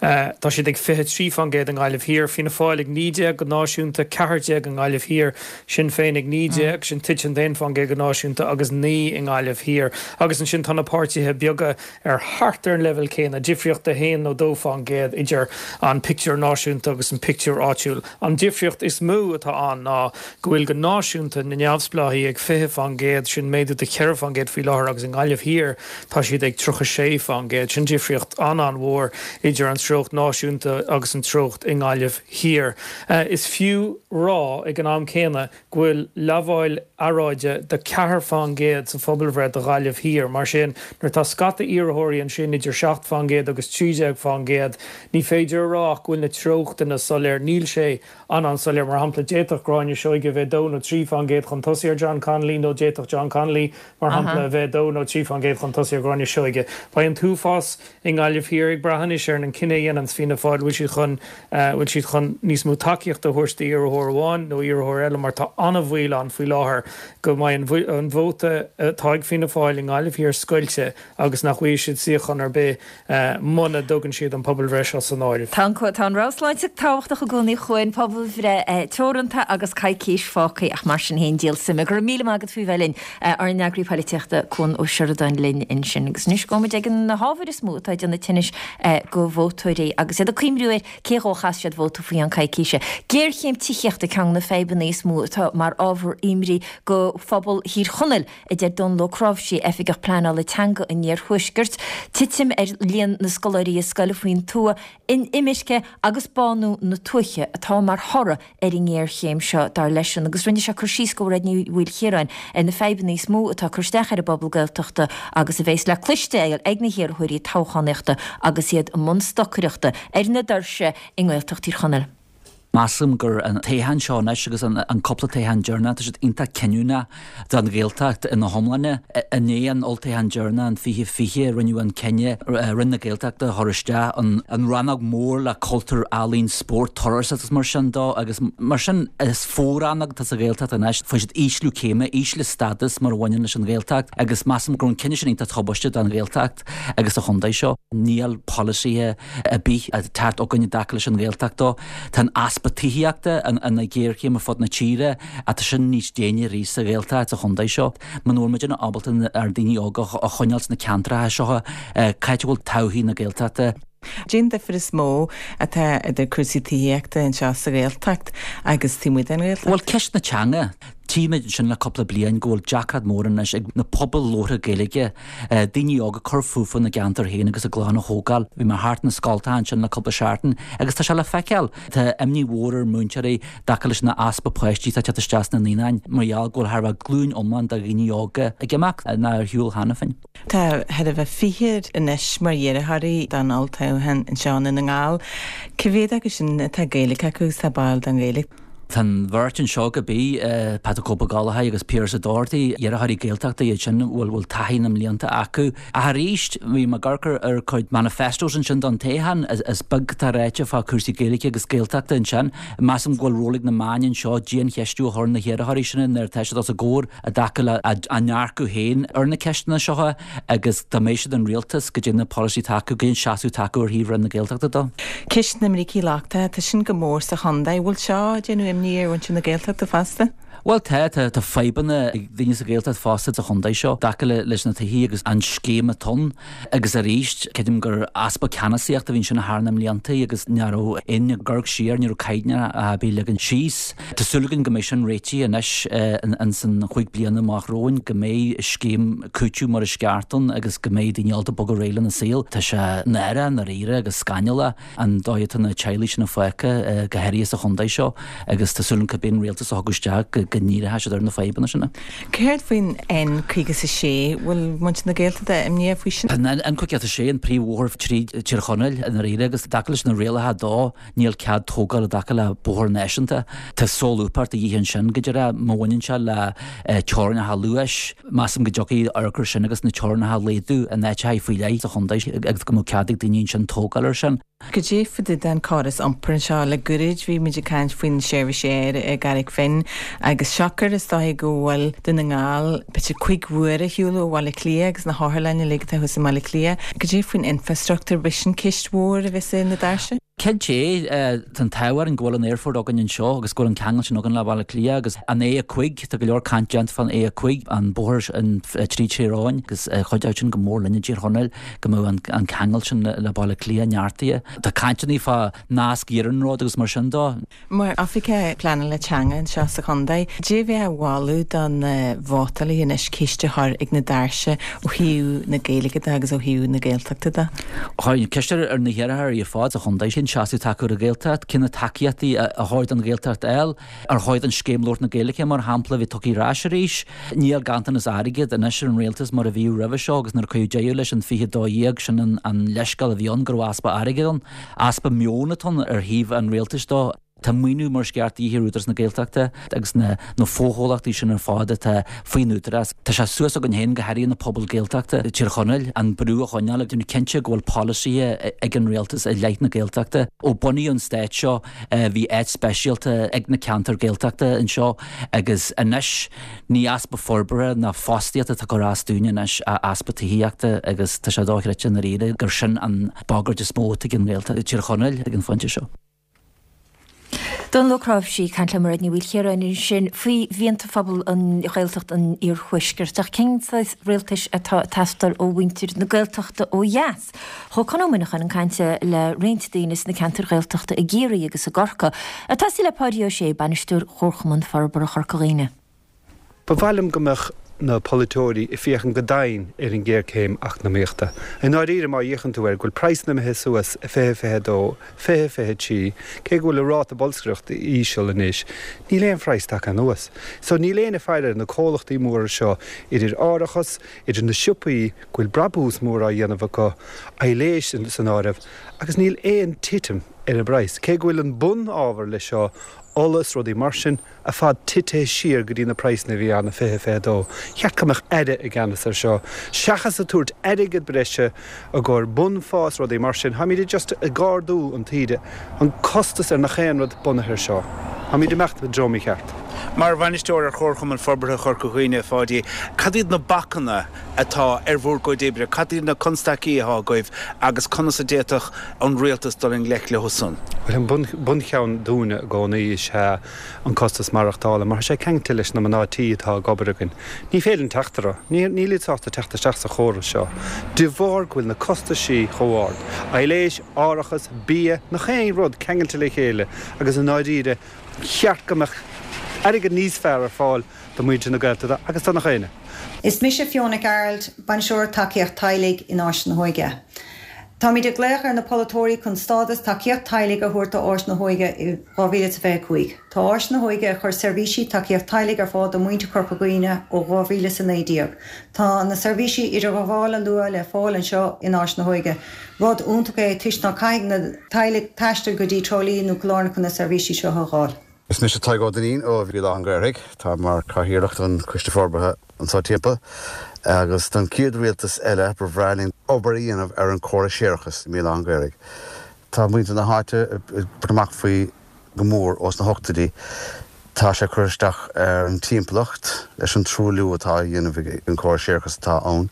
Tá siad ag 23% i nGaillimh Thiar, Fianna Fáil ag 19 go náisiúnta, 14 i nGaillimh Thiar, Sinn Féin ag 19, sin titim de 1% go náisiúnta, agus 9 i nGaillimh Thiar. Agus ansin tá na páirtithe beaga ar thart ar an leibhéal céanna, difríocht de 1 nó 2% idir an pictiúr náisiúnta agus an pictiúr áitiúil. An difríocht is mó atá ann ná go bhfuil go náisiúnta na neamhspleáigh ag 20%, sin méadú de 4% faoi láthair agus i nGaillimh Thiar tá siad ag 36%. Sin difríocht an-an-mhór idir an treocht náisiúnta agus an treocht i nGaillimh Thiar. Is fiú rá ag an am céanna go bhfuil lamháil earráide de 4% sa phobalbhreith do Ghaillimh Thiar. Mar sin, nuair atá scata iarrthóirí ansin idir 7% agus 13%, ní féidir a rá ach go bhfuil na treochtanna soiléir. Níl sé an-an-soiléir. Mar shampla, d'fhéadfadh Gráinne Seoige a bheith 2 nó 3% chun tosaigh ar John Connolly nó d'fhéadfadh John Connolly, mar shampla, a bheith 2 nó 3% chun tosaigh ar Ghráinne Seoige. Beidh an t-uafás i nGaillimh Thiar ag brath anois ar an cinneadh a dhéananns Fianna Fáil, bhfuil siad chun, bhfuil siad chun níos mó tacaíochta a thabhairt d'iarrthóir amháin nó iarrthóir eile mar tá an-bhaol ann faoi láthair go mbeidh an an vóta atá ag Fianna Fáil i nGaillimh Thiar scoilte agus nach bhfaighidh siad suíochán ar bith muna dtugann siad an pobalbhreith seo san áireamh. Tá an tá an rabhadh sláinte tábhachtach i gcónaí chugainn, pobalbhreith teoranta agus coicís fágtha ach mar sin féin díol suime. Go raibh míle maith agat faoi bheith linn. Ár n-eagraí poilitíochta Cuan Ó Seireadáin linn ansin. Agus anois gabhfaidh muid ag na hábhair is mó atá ag déanamh tinnis go vótóirí agus iad ag cuimhniú ar cé dhó a chaith siad vóta faoi cheann coicíse. Géarchéim tithíochta ceann de na fadhbanna is mó atá mar ábhar imní go phobal Thír Chonaill, a deir Dónal Ó Cnáimhsí, Oifigeach Pleanála Teanga an Iarthuaiscirt. Titim ar líon na scoláirí i scoil faoin tuath, inimirce agus bánú na tuaithe atá mar thoradh ar an ngéarchéim seo, dar leisean, agus rinne sé cur síos go Mhairéad Ní Mhaoilchiaráin ar na fadhbanna is mó atá ag cur isteach ar an bpobal Gaeltachta agus a bheas le cloisteáil ag na hiarrthóirí toghchánaíochta agus iad i mbun stocaireachta ar na doirse i nGaeltacht Thír Chonaill. Measaim gur an toghchán seo anois agus an cúpla toghchán deireanach, tá siad iontach cinniúnach don Ghaeltacht ina hiomláine. I ndiaidh an olltoghcháin deireanach in 2020, rinneadh an cinneadh Roinn na Gaeltachta a chur isteach, an rannóg mór le cultúr, ealaín, spórt, turasóireacht agus mar sin dó agus mar sin is fo-rannóg atá sa Ghaeltacht anois. Fuair siad ísliú céime, ísliú stádas mar a bhaineann leis an Ghaeltacht agus measaim go raibh an cinneadh sin iontach tubaisteach don Ghaeltacht agus do chontae seo. Níl polasaithe ar bith ag teacht chugainn i dtaca leis an Ghaeltacht dó. Tá an easpa tithíochta ina ghéarchéim ar fud na tíre ach tá sin níos déine arís sa Ghaeltacht sa chontae seo. Muna bhfuil muidne ábalta ár ndaoine óga a choinneáil sna ceantracha seo, cá háit a bhfuil todhchaí na Gaeltachta? Cén difear is mó atá idir cúrsaí tithíochta anseo sa Ghaeltacht agus taobh amuigh den Ghaeltacht? Bhuel, ceist na teanga. Tchímid ansin le cúpla bliain go bhfuil deacracht mór anois ag na pobail labhartha Gaeilge, daoine óga cur fúthu ina gceantar féin agus a gclann a thógáil. Bhí mé thart na scoltacha ansin le cúpla seachtain agus tá sé le feiceáil. Tá imní mhór ar mhúinteoirí i dtaca leis an easpa páistí atá ag teacht isteach sna naíonáin mar gheall go bhfuil thar a bheith glúin iomlán de dhaoine óga ag imeacht nó ar shiúl cheana féin. Tá thart ar 20 anois mar iarrthóirí don olltoghchán anseo i nDún na nGall. Cá mhéad acu sin atá Gaeilge acu agus atá báúil don Ghaeilge? Tá an bheirt anseo cibé, Patrick Ó Gallchóir agus Pearse Doherty, iarrthóirí Gaeltachta iad sin a bhfuil taithí na mblianta acu. Ach arís, bhí mé ag amharc ar cuid manifestos ansin don toghchán, is beag atá ráite fá chúrsaí Gaeilge agus Gaeltachta ansin. Measaim go bhfuil ról ag na meáin anseo diancheistiú a chur ar na hiarrthóirí sin nuair atá siad os a gcomhair i dtaca le a ndearcadh féin ar na ceisteanna seo agus dá mbeidh siad in rialtas, goidé na polasaí atá acu, goidé an seasamh atá acu ar thaobh Roinn na Gaeltachta dó. Ceist na mbricí lochtacha, tá sin go mór sa chontae. Bhfuil seo ag déanamh imní ar mhuintir na Gaeltachta fosta? Bhuel tá, tá, tá fadhbanna ag daoine sa Ghaeltacht fosta sa chontae seo i dtaca leis na tithe agus an scéim atá ann. Agus arís, creidim gur easpa ceannasaíochta a bhí ansin thar na mblianta agus ní raibh éinne ag amharc siar, ní raibh caighdeán ar bith leagtha síos. Tá súil againn go mbeidh sin réitithe anois ins an chúig bliana amach romhainn, go mbeidh scéim cúitimh mar is ceart ann agus go mbeidh daoine ábalta bogadh ar aghaidh lena saol. Tá sé náireach i ndáiríre agus scannalach an dóigh atá na teaghlaigh sin fágtha, go háirithe sa chontae seo, agus tá súil agam cibé an rialtas a thiocfadh isteach go ndíreoidh siad ar na fadhbanna sin. Céard faoin N56? Bhfuil muintir na Gaeltachta imníoch faoi sin? Tá an N56, an príomhbhóthar tríd Tír Chonaill i ndáiríre agus i dtaca leis na rialacha dó, Níl cead tógáil i dtaca le bóthar náisiúnta. Tá solúbthacht de dhíth ansin, go díreach má bhaineann sé le teorainneacha luais. Measaim go dtiocfaidh amharc air sin agus na teorainneacha a laghdú in áiteacha faoi leith sa chontae agus go mbeadh cead ag daoine ansin tógáil air sin. Cad é fá dtaobh den córas iompair anseo? Le goirid bhí muid ag caint faoin seirbhís aeir i gCarraig Finn agus siocair is dóiche go bhfuil Dún na nGall b'fhéidir 5 uaire ar shiúl ó Bhaile Átha Cliath agus na hotharlanna uilig atá thuas i mBaile Átha Cliath. Cad é faoin infrastruchtúr? B'shin ceist mhór a bheas ar na doirse. Cinnte, tá an t-ádh orainn go bhfuil an aerfort againn anseo agus go bhfuil an ceangal sin againn le Baile Átha Cliath agus an A5, tá go leor caint déanta fán A5, an bóthar tríd Tír Eoghain agus chuideodh sin go mór linn i dTír Chonaill go mbeadh an ceangal sin le Baile Átha Cliath neartaithe. Tá cainteanna fá nasc iarnróid agus mar sin dó. Mar Oifigeach Pleanála Teanga anseo sa chontae, cad é a bheifeá a mholadh do na vótálaithe anois ceist a chur ag na doirse ó thaobh na Gaeilge de agus ó thaobh na Gaeltachta de? Chuirfinn ceist ar na hiarrthóirí ar fad sa chontae cén seasamh atá acu ar an Ghaeltacht, cé na tacaíochtaí a chóir don Ghaeltacht a fháil, ar chóir don scéim labhairt na Gaeilge, mar shampla, a bheith tugtha ar ais arís. Níl ganntanas airgid anois ar an rialtas mar a bhíodh roimhe seo agus nuair a cuireadh deireadh leis an 2012 sin an leithscéal a bhí ann go raibh easpa airgid ann. Easpa meoin atá ann ar thaobh an rialtais dó. Tá maoiniú mar is ceart de dhíth ar Údarás na Gaeltachta agus na fochomhlachtaí sin ar fad atá faoin Údarás. Tá sé suas againn féin, go háirithe na pobail Gaeltachta i dTír Chonaill, an brú a choinneáil ag déanamh cinnte go bhfuil polasaithe ag an rialtas i leith na Gaeltachta. Ó bunaíodh an stát seo bhí áit speisialta ag na ceantair Gaeltachta anseo agus anois ní easpa forbartha ná fostaíochta atá ag cur as dúinn anois ach easpa tithíochta agus tá sé dochreidte i ndáiríre gur sin an bagairt is mó atá ag an nGaeltacht i dTír Chonaill ag an phointe seo. Dónall Ó Cnáimhsí ag caint le Mairéad Ní Mhaoilchiaráin ansin faoi mhianta phobal an Ghaeltacht an Iarthuaiscirt. Ach cén saghas rialtais atá ag teastáil ó mhuintir na Gaeltachta ó dheas? Chuaigh Conn Ó Muineacháin chun cainte le roinnt daoine sna ceantair Ghaeltachta i gCiarraí agus i gCorcaigh. Ag tosaí le Páidí Ó Sé, Bainisteoir Chomharchumann Forbartha Chorca Dhuibhne. Ba mhaith liom go mbeadh na polaiteoirí ag féachaint go domhain ar an ghéarchéim eacnamaíochta. I ndáiríre, má fhéachann tú air, go bhfuil praghsanna imithe suas i 2022, 2023, cé go bhfuil an ráta bolscaireachta íseal anois, níl aon phraghas tagtha anuas. So níl éinne ag faire ar na comhlachtaí móra seo, idir árachas, idir na siopaí, go bhfuil brabús mór á dhéanamh acu, aibhléis san áireamh, agus níl aon titim ar an bpraghas. Cé go bhfuil an bun-ábhar leis seo, ola is rudaí mar sin, ar fad titithe siar go dtí na praghsanna a bhí ann i 2022. Cheart go mbeadh aire i gceannas ar seo. Seachas ag tabhairt airgead breise i gcomhair bunphá is rudaí mar sin, táimid just ag ardú an taoide, an costas ar nach aon rud bunaithe ar seo. Táimid ag imeacht i dtreo mícheart. Mar bhainisteoir ar Chomharchumann Forbartha Chorca Dhuibhne, a Pháidí, cad iad na bacanna atá ar bhur gcuid oibre? Cad iad na constaicí atá agaibh agus conas a d'fhéadfadh an rialtas dul i ngleic leo san? Bhuel, an buncheann dúinne i gcónaí is ea an costas maireachtála, mar tá sé ceangailte leis na mná tí atá ag obair againn. Ní féidir linn teacht orthu. Níl iad sásta teacht isteach sa chóras seo de bharr go bhfuil na costaisí chomh ard. Aibhléis, árachas, bia, nach aon rud ceangailte le chéile agus i ndáiríre, cheart go mbeadh. airgead níos fearr ar fáil do mhuintir na Gaeltachta agus do nach éinne. Is mise Fiona Nic Gearailt, Bainisteoir Tacaíocht Teaghlaigh in Áis na hÓige. Táimid ag glaoch ar na polaiteoirí chun stádas Tacaíocht Teaghlaigh a thabhairt do Áis na hÓige i 2025. Tá Áis na hÓige ag cur seirbhísí Tacaíocht Teaghlaigh ar fáil do mhuintir Chorca Dhuibhne ó 2019. Tá na seirbhísí idirghabhála luath le fáil anseo in Áis na hÓige. Rud iontach é toisc ná caithfidh na teaghlaigh taisteal go dtí Trá Lí nó Cill Airne chun na seirbhísí seo a fháil. Is mise Tadhg Ó Duinnín ó Bhéal Átha an Ghaorthaidh. Táim mar Chathaoirleach don Choiste Forbartha anseo timpeall agus don chéad rialtas eile ba bhreá linn obair a dhéanamh ar an córas séarachais i mBéal Átha an Ghaorthaidh. Tá muintir na háite ag tabhairt amach faoi go mór ós na hochtóidí. Tá sé ag cur isteach ar an timpeallacht leis an truailliú atá á dhéanamh ag an córas séarachais atá ann.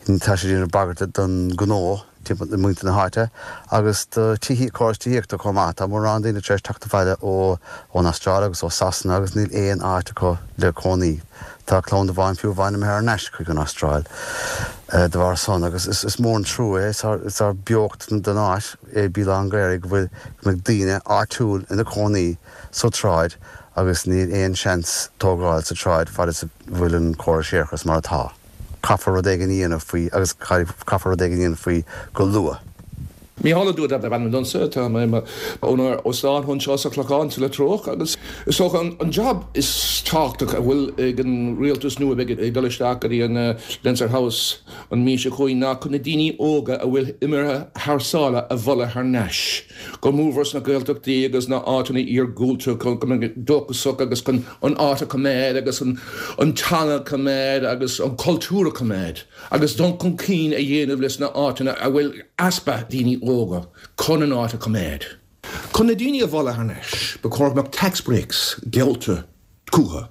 Tá sé ag déanamh bagairt don ghnó. timpeall muintir na háite agus do tithí, córas tithíochta chomh maith. Tá mórán daoine tar éis teacht abhaile ó ón Astráil agus ó Sasana agus níl aon áit acu le cónaí. Tá clann amháin fiú amháin imithe thar n-ais chuig an Astráil de bharr san agus is mór an trua é. Is ár beocht don áit é Béal Átha an Ghaorthaidh go bhfuil go mbeidh daoine áitiúil ina cónaí sa tsráid agus níl aon seans tógáil sa tsráid fad is a bhfuil an córas séarachais mar atá. Caithfear rud éigin a dhéanamh faoi agus caithfear rud éigin a dhéanamh faoi go luath. Mícheál Ó Dúda darb ainm domsa, tá mé i mo úinéir óstáin anseo sa Chlochán sa Leitriúch agus is dócha an job is tábhachtach a bhfuil ag an rialtas nua a bheidh ag dul isteach go dtí an Leinster House an mhí seo chugainn ná chun na daoine óga a bhfuil imithe thar sáile a mhealladh thar n-ais. Go mórmhór sna Gaeltachtaí agus na áiteanna iargúlta chun go mbeidh dóchasach agus chun an áit a choimeád agus an teanga a choimeád agus an cultúr a choimeád agus dul chun cinn a dhéanamh leis na áiteanna a bhfuil easpa daoine óga chun an áit a choimeád. Chun na daoine a mhealladh thar n-ais, ba chóir go mbeadh tax breaks geallta chucu.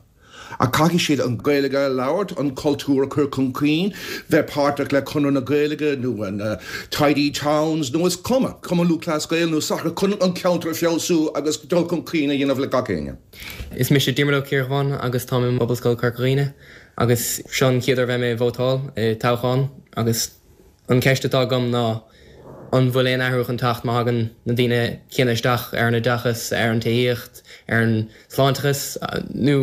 Ach caithfidh siad an Ghaeilge a labhairt, an cultúr a chur chun cinn, bheith páirteach le Conradh na Gaeilge nó an Tidy Towns nó is cuma, Cumann Lúthchleas Gael nó sacar chun an ceantar a feabhsú agus dul chun cinn a dhéanamh le gach éinne. Is mise Diarmuid Ó Ciardhubháin agus táim i bPobalscoil Chorca Dhuibhne agus seo an chéad uair a bheidh mé ag vótáil i toghchán agus an ceist atá agam ná an bhfuil aon athrú chun teacht má thagann na daoine céanna isteach ar an oideachas, ar an tithíocht, ar an sláinteachas nó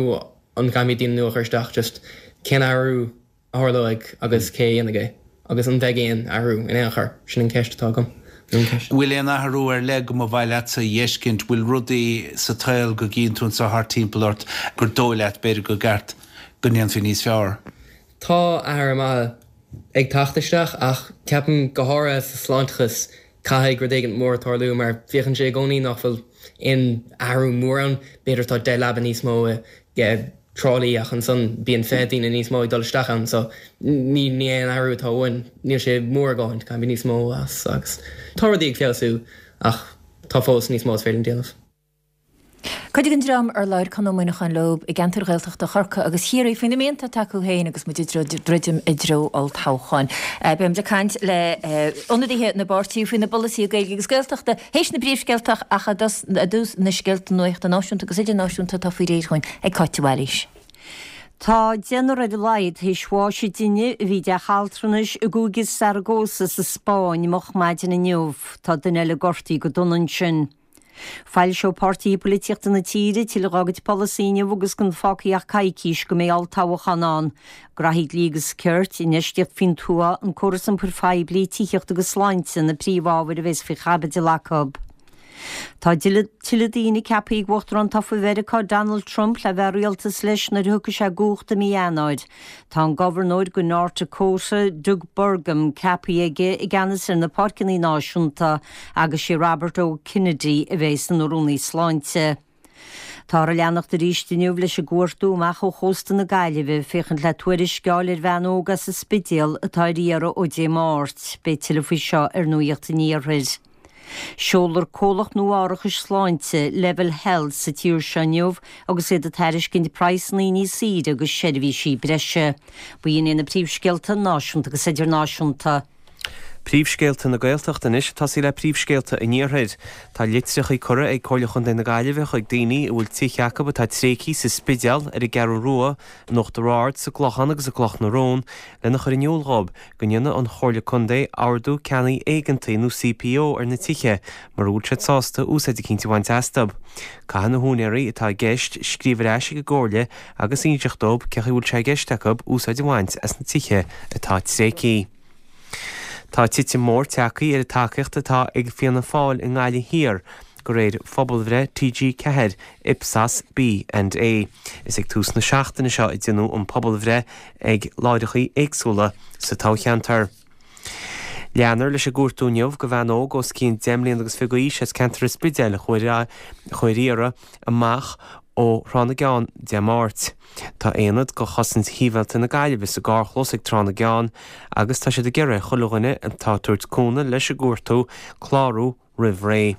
an gcaithfimid daoine nua a chur isteach? Just cén athrú a tharlóidh agus cé a dhéanfaidh é agus an mbeidh aon athrú in aon chor? Sin an ceist atá agam. Nó an ceist. Bhfuil aon athrú ar leith go mba mhaith leatsa a dh'fheiscint? Bhfuil rudaí sa tsaol go gcíonn tú anseo thart timpeall ort gur dóigh leat b'fhéidir gur gceart go ndéanfaí níos fearr? Tá athruithe maithe ag teacht isteach ach ceapaim go háirithe sa sláinteachas caithfidh rud éigin mór tarlú mar féachann sé i gcónaí nach bhfuil aon athrú mór ann. B'fhéidir tá 10 leaba níos mó i dTrá Lí ach ansan bíonn 20 daoine níos mó ag dul isteach ann so ní ní aon athrú atá uainn. Níl sé mór a dhóthain, caithfidh níos mó as agus tá rudaí ag feabhsú ach tá fós níos mó is féidir linn déanamh. Cuid den dream ar labhair Conn Ó Muíneacháin leo i gceantair Ghaeltachta Chorcaí agus Chiarraí faoi na mianta atá acu féin agus muid ag druidim i dtreo olltoghcháin. Beidh muid ag caint le ionadaithe na bpáirtithe faoina bpolasaithe Gaeilge agus Gaeltachta théis na bpríomhscéalta ach i dtús na scéalta nuachta náisiúnta agus idirnáisiúnta atá faoi réir chugainn ag Cáit de Bhailís. Tá deichniúr ar a laghad théis bháis ag duine a bhí i dteach altranais i gcúige Zaragoza sa Spáinn moch maidin inniu. Tá duine eile gortaithe go dona ansin. Foilseoidh páirtithe polaitíochta na tíre tuilleadh dá gcuid polasaí inniu agus gan fágtha ach coicís go mbeidh olltoghchán ann. Graithí dlí agus cirt, infheistíocht faoin tuath, an córas iompair phoiblí, tithíocht agus sláinte na príomhábhair a bheas faoi chaibidil acu. Tá tuilleadh daoine ceaptha ag Uachtarán tofa Mheiriceá Donald Trump le bheith i rialtas leis nuair a thiocfaidh sé i gcumhacht i mí Eanáir. Tá an gobharnóir go North Dakota, Doug Burgum, ceaptha aige i gceannas ar na Páirceanna Náisiúnta agus sé Robert O. Kennedy a bheidh ina Rúnaí Sláinte. Táthar ag leanacht arís inniu leis an gcuartú amach ó chósta na Gaillimhe féachaint le tuairisc a fháil ar bhean óg as an Spidéal atá ar iarraidh ó Dé Máirt. Beidh tuilleadh faoi seo ar Nuacht an Iarthair. Seolfar comhlacht nua árachais sláinte, Level Health, sa tír seo inniu agus iad ag tairiscint praghsanna níos saoire agus seirbhísí breise. B'in iad na príomhscéalta náisiúnta agus idirnáisiúnta. Príomhscéalta na Gaeltachta anois ag tosaí le príomhscéalta an Iarthair. Tá litreacha curtha ag Comhairle Chontae na Gaillimhe chuig daoine a bhfuil tithe acu atá tréigthe sa Spidéal, ar an gCeathrú Rua, in Uachtar Ard, sa gClochán agus i gCloch na Rón lena chur in iúl dhóibh go ndéanfaidh an Chomhairle Contae Ordú Ceannaigh Éigeantaigh nó CPO ar na tithe mura bhfuil siad sásta úsáid eicínt a bhaint astu. Caithfidh na húinéirí atá i gceist scríobh ar ais ag an gComhairle agus inseacht dóibh cén chaoi a bhfuil sé i gceist acu úsáid a bhaint as na tithe atá tréigthe. Tá titim mhór tagtha ar an tacaíocht atá ag Fianna Fáil i nGaillimh Thiar, de réir phobalbhreith TG4, Ipsos B and A. Is ag tús na seachtaine seo a deineadh an pobalbhreith ag láithreacha éagsúla sa toghcheantar. Leanfar leis an gcuartú inniu do bhean óg os cionn 10 mbliana agus fiche d'aois as ceantar an Spidéil a chuaigh ar iarraidh amach ó Thrá na gCeann Dé Máirt. Tá aonad de Chosaint Shibhialta na Gaillimhe sa gcarrchlós ag Trá na gCeann agus tá siad ag iarraidh ar chuile dhuine atá ag tabhairt cúnamh leis an gcuartú clárú roimh ré.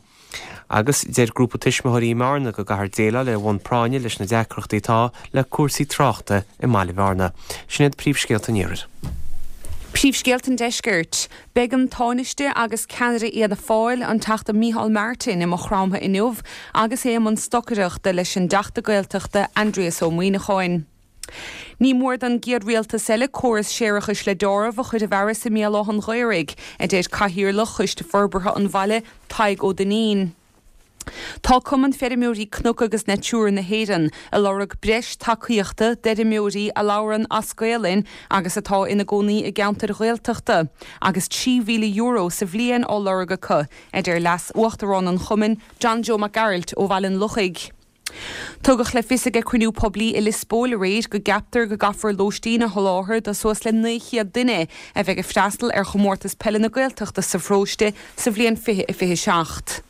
Agus deir grúpa tuismitheoirí i mBearna go gcaithfear déileáil ar bhonn práinne leis na deacrachtaí atá le cúrsaí tráchta i mbaile Bhearna. Sin iad príomhscéalta an Iarthair. Príomhscéalta an Deiscirt. Beidh an Tánaiste agus ceannaire Fhianna Fáil, an Teachta Micheál Martin, i Maigh Chromtha inniu agus é i mbun stocaireachta leis an dTeachta Gaeltachta Aindrias Ó Muimhneacháin. Ní mór don gcéad rialtas eile córas séarachais le deáramh a chur i bhfearas i mBéal Átha'n Ghaorthaidh, a deir Cathaoirleach Choiste Forbartha an bhaile, Tadhg Ó Duinnín. Tá Cumann Feirmeoirí Cnoc agus Natura na hÉireann ag lorg breis tacaíochta d'fheirmeoirí a labhrann as Gaolainn agus atá ina gcónaí i gceantair Ghaeltachta agus €3,000 sa bhliain á lorg acu, a deir Leas-Uachtarán an chumainn, John Joe Mac Gearailt ó Bhaile an Lochaigh. Tugadh le fios ag cruinniú poiblí i Lios Póil aréir go gceaptar go gcaithfear lóistín a sholáthar do suas le 900 duine a bheidh ag freastal ar Chomórtas Peile na Gaeltachta sa pharóiste sa bhliain 2027.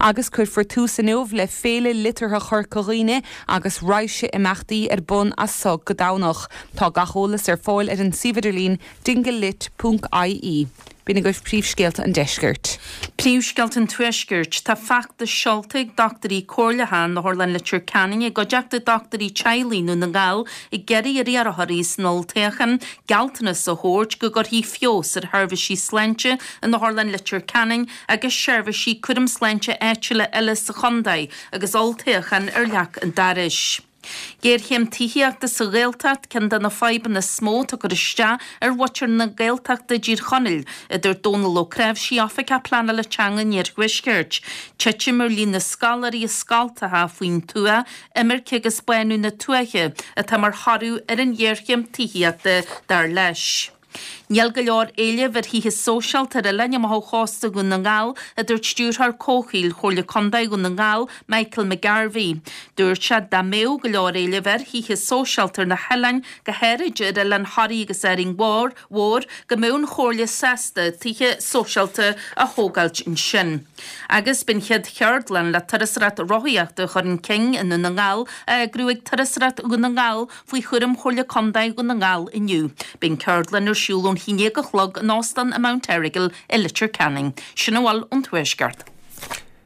Agus cuirfear tús inniu le Féile Liteartha Chorca Dhuibhne agus raidhse imeachtaí ar bun as so go Domhnach. Tá gach eolas ar fáil ar an suíomh idirlín dinglelit ponc ie. B'in agaibh príomhscéalta an deiscirt. Príomhscéalta an tuaiscirt. Tá feachtas seolta ag dochtúirí comhairleacha in Otharlann Leitir Ceanainn i gcuideachta dochtúirí teaghlaigh i nDún na nGall ag iarraidh ar iarrthóirí san olltoghchán gealltanas a thabhairt go gcuirfí feabhas ar sheirbhísí sláinte in Otharlann Leitir Ceanainn agus seirbhísí cúram sláinte áitiúla eile sa chontae agus olltoghchán ar leac an dorais. Géarchéim tithíochta sa Ghaeltacht ceann de na fadhbanna is mó atá ag cur isteach ar mhuintir na Gaeltachta i dTír Chonaill, a dúirt Dónal Ó Cnáimhsí, Oifigeach Pleanála Teanga an Iarthuaiscirt. Titim ar líon na scoláirí i scoltacha faoin tuath, imirce agus bánú na tuaithe atá mar thoradh ar an ghéarchéim tithíochta, dar leis. Níl go leor éilimh ar thithe sóisialta ar oileáin amach ó chósta Dhún na nGall, a dúirt Stiúrthóir Comhshaoil Chomhairle Contae Dhún na nGall, Michael McGarvey. Dúirt sé dá mbeadh go leor éilimh ar thithe sóisialta ar na hoileáin, go háirid ar oileán Thoraí agus Árainn Mhór, go mbeadh an Chomhairle sásta tithe sóisialta a thógáilt ansin. Agus beidh an chéad cheardlann le turasóireacht rothaíochta a chur chun cinn i nDún na nGall á eagrú ag Turasóireacht Dhún na nGall Faoi chúram Chomhairle Contae Dhún na nGall inniu, beidh an ceardlann ar siúl ón 11 a chlog in Óstán an Mount Errigal i Leitir Ceanainn. Sin a bhfuil ón Tuaisceart.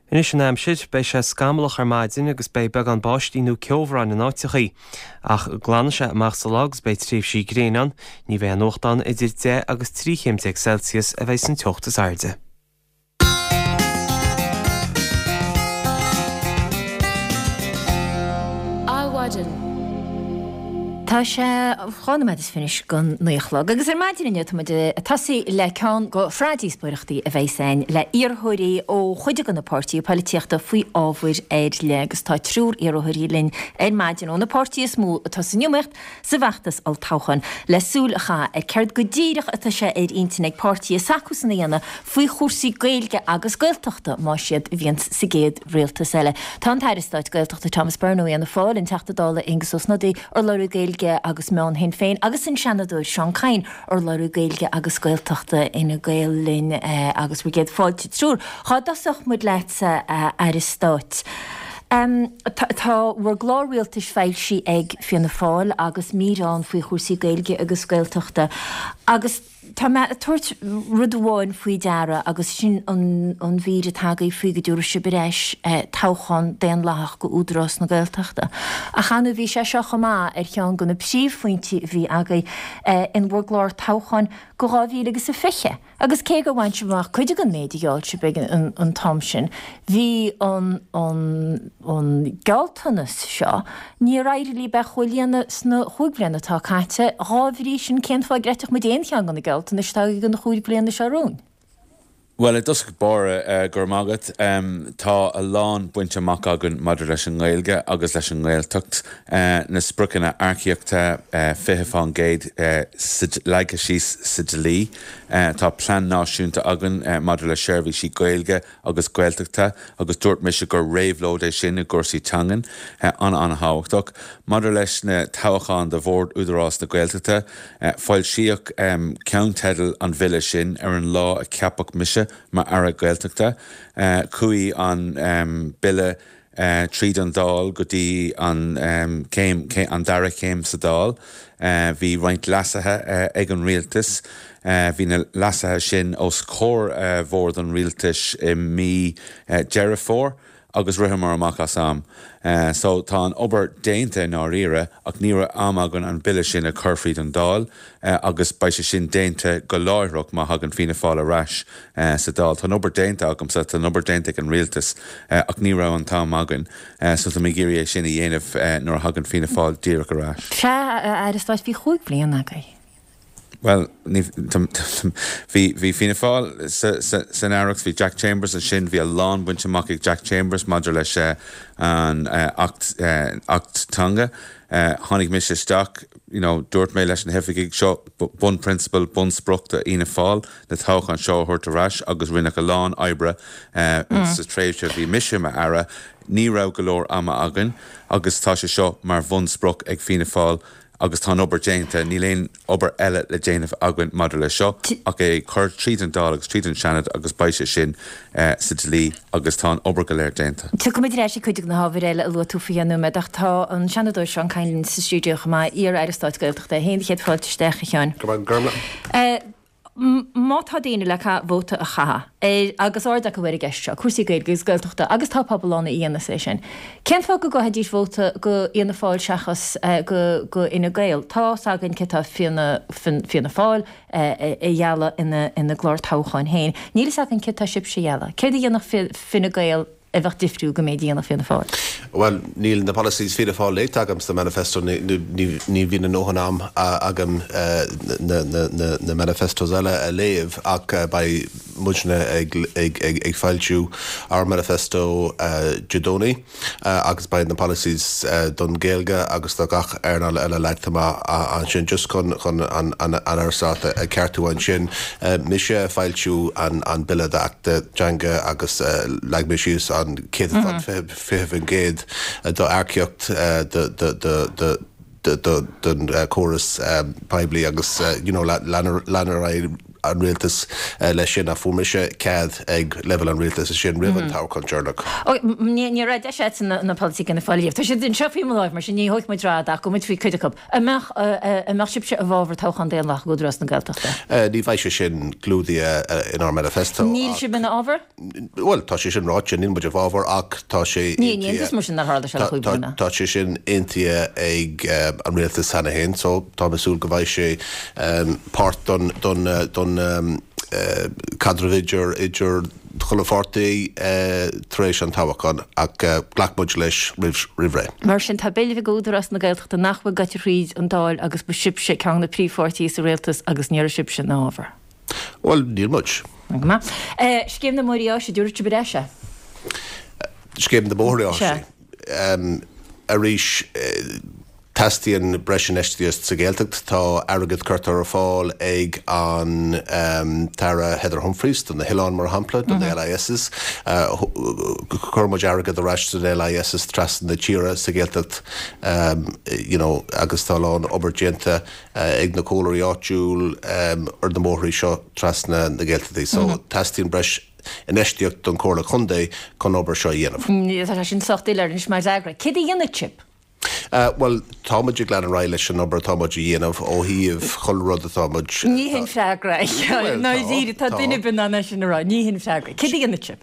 Anois an aimsir, beidh sé scamallach ar maidin agus beidh beagán báistí nó ceobhráin in áiteachaí. Ach glanfaidh sé amach sa lá agus beidh tréimhsí gréine ann. Ní bheidh aon fhuacht ann, idir 10 agus 13 chéim Celsius a bheidh san teocht is airde. Adhmhaidin. Tá sé 2 nóiméad is fiche anois don 9 a chlog agus ar maidin inniu tá muid ag tosaí le ceann de shraith díospóireachtaí a bheas againn le iarrthóirí ó chuid de na páirtithe poilitíochta faoi ábhair ar leith agus tá triúr iarrthóirí linn ar maidin ó na páirtithe is mó atá san iomaíocht sa bhfeachtas olltoghcháin le súil a chaitheamh ar céard go díreach atá sé ar intinn ag páirtithe s'acusan a dhéanamh faoi chúrsaí Gaeilge agus Gaeltachta más iad a bhíonns sa gcéad rialtas eile. Tá an tAire Stáit Gaeltachta Thomas Byrne ó Fhianna Fáil, an Teachta Dála Aengus Ó Snodaigh, urlabhraí Gaeilge agus Meán Shinn Féin agus an Seanadóir Seán Kyne, urlabhraí Gaeilge agus Gaeltachta Fhine Gael linn agus bhur gcéad fáilte triúr. Dhá dtosódh muid leatsa, a Aire Stáit. Tá bhur gclár rialtais foilsithe ag Fianna Fáil agus mír ann faoi chúrsaí Gaeilge agus Gaeltachta agus tá mé ag tabhairt rud amháin faoi deara agus sin an mhír atá agaibh faoi go dtabharfaidh sibh ar ais toghchán daonlathach go Údarás na Gaeltachta. Ach ar ndóigh bhí sé seo chomh maith ar cheann de na príomhphointí a bhí agaibh in bhur gclár toghcháin. go 2000 agus a 20. Agus cé gur bhain sibh amach cuid den méid a gheall sibh ag an t-am sin, bhí an an an gealltanas seo, níor éirigh libh é a chomhlíonadh sna chúig bhliana atá caite. Dhá bhrí sin, cén fáth a gcreidfeadh muid aon cheann de na gealltanais atá agaibh don chúig bhliana seo romhainn? Bhuel, i dtosach báire, go raibh maith agat. Tá a lán bainte amach againn maidir leis an nGaeilge agus leis an nGaeltacht. Na spriocanna earcaíochta, 20% leagtha síos sa dlí. Tá plean náisiúnta againn maidir le seirbhísí Gaeilge agus Gaeltachta agus dúirt mise gur réabhlóid é sin i gcúrsaí teangan. An-an-thábhachtach. Maidir leis na toghcháin do Bhord Údarás na Gaeltachta, Foilsíodh ceannteidil an bhille sin ar an lá a ceapadh mise mar Aire Gaeltachta. Chuaigh an bille tríd an Dáil go dtí an céim, an dara céim sa Dáil. Bhí roinnt leasuithe ag an Rialtas. Bhí na leasuithe sin os comhair Bhord an Rialtais i mí Deireadh Fómhair. agus ritheamar amach as am. So tá an obair déanta i ndáiríre ach ní raibh am againn an bille sin a chur fríd an Dáil agus beidh sé sin déanta go láithreach má thagann Fianna Fáil ar ais sa Dáil. Tá an obair déanta agamsa, tá an obair déanta ag an Rialtas ach ní raibh an t-am againn so tá mé ag iarraidh é sin a dhéanamh nuair a thagann Fianna Fáil díreach ar ais. Sea, a Aire Stáit, bhí chúig bhliana agaibh. Bhuel, ní, bhí, bhí Fianna Fáil sa, sa, san Aireacht, bhí Jack Chambers ansin, bhí a lán bainte amach ag Jack Chambers maidir leis an Acht, Acht Teanga. Tháinig mise isteach, you know, dúirt mé leis na hoifigigh, seo bunphrionsabal, bunsprioc do Fhianna Fáil, na toghcháin seo a thabhairt ar ais agus rinneadh a lán oibre sa tréimhse a bhí mise i m'Aire. Ní raibh go leor ama againn agus tá sé seo mar bhunsprioc ag Fianna Fáil Agus tá an obair déanta, níl aon obair eile le déanamh againn maidir leis seo ach é a chur tríd an Dáil agus tríd an Seanad agus beidh sé sin sa dlí agus tá an obair go léir déanta. Tiocfaimid ar ais ag cuid de na hábhair eile a luaigh tú faoi cheann nóiméad ach tá an Seanadóir Seán Kyne linn sa stiúideo chomh maith, iar-Aire Stáit Gaeltachta é féin. Céad fáilte isteach, a Sheáin. Go raibh maith. Má tá daoine le vóta a chaitheamh ar, agus aird acu ar an gceist seo, cúrsaí Gaeilge agus Gaeltachta, agus tá pobal ann a dhéanas é sin, cén fáth go gcaithfidís vóta go Fhianna Fáil seachas go go Fhine Gael? Tá's againn céard tá Fianna Fianna Fáil a ghealladh ina ina gclár toghcháin féin. Níl fhios againn céard tá sibhse a ghealladh. Céard a dhéanfadh Fine Gael a bheadh difriúil go méid a dhéanfadh Fianna Fáil? Bhuel, níl na policies Fianna Fáil léite agam sna manifesto, ní bhíonn a ndóthain am agam na manifestos eile a léamh ach beidh muidne ag foilsiú ár manifesto Dé Domhnaigh agus beidh na policies don Ghaeilge agus do gach earnáil eile leagtha amach ansin just chun an Aire Stáit a cheartú ansin. Mise a foilsiú an Bille d'Acht Teanga agus leag mé síos an céatadán 20% d'earcaíocht don chóras poiblí agus you know lean ar aghaidh an rialtas leis sin ach fuair mise cead ag leibhéal an rialtais sin roimh an toghchán deireanach. Ní raibh deis agat na polasaithe Fhianna Fáil a léamh. Tá siad anseo faoi mo láimh mar sin ní thógfaidh muid rad ach gabhfaidh muid faoi cuid acu. An mbeadh, an mbeadh sibhse i bhfabhar toghchán daonlathach ag Údarás na Gaeltachta? Ní bheidh sé sin clúdaithe inár manifesto ach. Níl sibh ina fhabhar? Bhuel, tá sé sin ráite, níl muid i bhfabhar ach tá sé Ní, ní aontas mar sin nár tharla sé le chúig bliana. Tá sé sin aontaithe ag an rialtas cheana féin so táim ag súil go bhfaighidh sé páirt don, don, don caidreamh idir, idir chuile pháirtí tar éis an toghcháin ach ghlac muid leis roimh ré. Mar sin, tá bille ag Údarás na Gaeltachta nach bhfuil gaibhte thríd an Dáil agus ba sibhse ceann de na príomhpháirtithe sa rialtas agus ní raibh sibhse ina fhabhar. Bhuel, níl muid. Go maith. Scéim na mbóithrí áise, dtabharfaidh sibh ar ais é? Scéim na mbóithrí áise? Sea. Arís, Teastaíonn breis infheistíocht sa Ghaeltacht. Tá airgead curtha ar fáil ag an tAire Heather Humphreys do na hoileáin, mar shampla, do na LISs. Chuir muid airgead ar ais do na LISs trasna na tíre sa Ghaeltacht you know agus tá a lán obair déanta ag na comhairleoirí áitiúil ar na bóithrí seo trasna na Gaeltachtaí. So teastaíonn breis infheistíocht don Chomhairle Contae chun obair seo a dhéanamh. Tá sé sin sách doiléir anois mar fhreagra. Céard a dhéanfaidh sibh? Bhuel. Tá muid ag lean ar aghaidh leis an obair atá muid a dhéanamh ó thaobh chuile rud atá muid. Ní hin freagra. Ndáiríre, tá duine ar bith in ann é sin a rá. Ní hin freagra. Céard a dhéanfaidh sibh?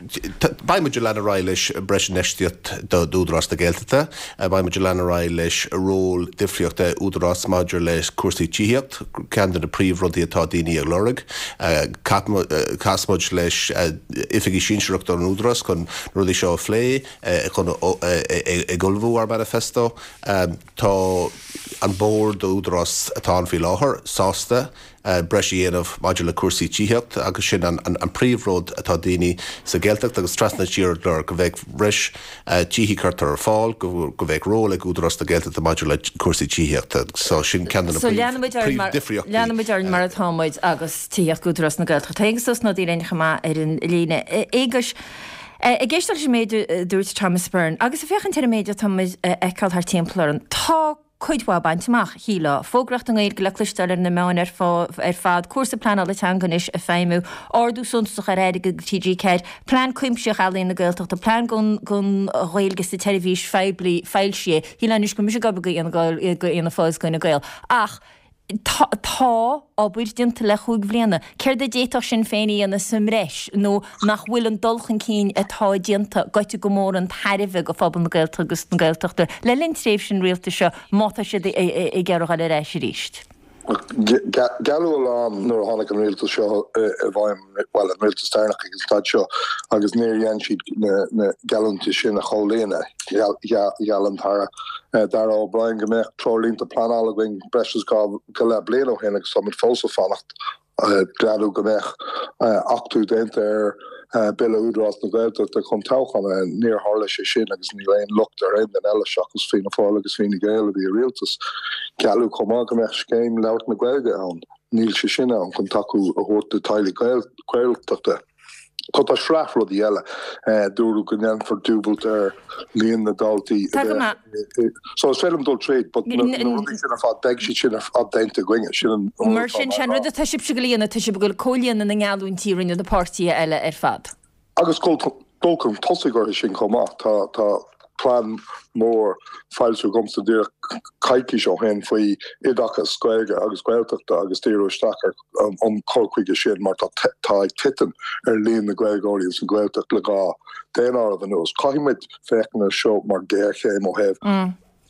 Beidh muid ag lean ar aghaidh leis breis infheistíocht d'Údarás na Gaeltachta. Beidh muid ag lean ar aghaidh leis ról difríocht Údarás maidir le cúrsaí tithíocht, ceann de na príomh rudaí atá daoine ag lorg. Chas muid leis oifigigh sinsearach don Údarás chun na rudaí seo a phlé, chun ag ullmhú ár manifesto. Tá an bord d'Údarás atá ann faoi láthair sásta breis a dhéanamh maidir le cúrsaí tithíocht agus sin an príomh rud atá daoine sa Ghaeltacht agus trasna na tíre ag lorg, go mbeidh breis tithí curtha ar fáil, go mbeidh ról ag Údarás na Gaeltachta maidir le cúrsaí tithíochta. So sin ceann de na So leanfaimid orainn mar, príomh-difríochtaí. leanfaimid orainn mar atá muid agus tithíocht Údarás na Gaeltachta. Tá Aengus Ó Snodaigh linn chomh maith ar an líne. Aonghuis, ag éisteacht leis an méid a dúirt Thomas Byrne agus ag féachaint ar an méid atá muid a fheiceáil thart timpeall orainn, tá cuid mhaith bainte amach, shílfeá. Fógraíocht i nGaeilge le cloisteáil ar na meáin ar fad, cúrsa pleanála teanga anois ag feidhmiú, ardú suntasach ar airgead do TG4, plean cuimsitheach Ealaíon na Gaeltachta, plean don Ghaeilge sa tseirbhís phoiblí foilsithe. Shílfeá anois go mbeadh mise ag obair do Fhianna Fáil is do Fhine Gael. Ach tá obair déanta le chúig bhliana. Céard a d'fhéadfadh Sinn Féin a dhéanamh sa mbreis nó nach bhfuil an dul chun cinn atá déanta gaibhte go mór chun tairbhe do phobal na Gaeltachta agus na Gaeltachta le linn tréimhse an rialtais seo má tá siad ag iarraidh dul ar ais arís? Gealladh a lán nuair a tháinig an rialtas seo i bhfeidhm, bhuel, an rialtas deireanach ag an staid seo, agus níor dhein siad na geallúintí sin a chomhlíonadh. Gheall an tAire Darragh O'Brien go mbeadh treoirlínte pleanála againn breis is dhá go leith bliain ó shin agus táimid fós ag fanacht. Gealladh go mbeadh achtú déanta ar Bille Údarás na Gaeltachta chun toghchán a. Níor tharla sé sin agus níl aon locht ar aon duine eile seachas Fianna Fáil agus Fine Gael a bhí i rialtas. Gealladh chomh maith go mbeadh scéim labhairt na Gaeilge ann. Níl sé sin ann chun tacú a thabhairt do teaghlaigh Gaeltachta. Tá sraith rudaí eile. Dúradh go ndéanfar dúbailt ar líon na ndaltaí a bheadh. So is féidir liom dul tríd, but na rudaí sin ar fad, beidh siad sin ar fad déanta againne. Sin an rud Mar sin, sé an rud atá sibhse ag dul a dhéanamh, tá sibh ag dul comhlíonadh na ngeallúintí a rinne na páirtithe eile ar fad. Agus dul chun tosaigh orthu sin chomh maith. Tá, tá plean mór foilsithe agamsa díreach coicís ó shin faoi oideachas Gaeilge agus Gaeltachta agus díriú isteach ar an cur chuige sin mar tá tá ag titim ar líon na Gaeilgeoirí ins an Ghaeltacht le dhá daonáireamh anuas. Caithfidh muid féachaint air seo mar ghéarchéim ó thaobh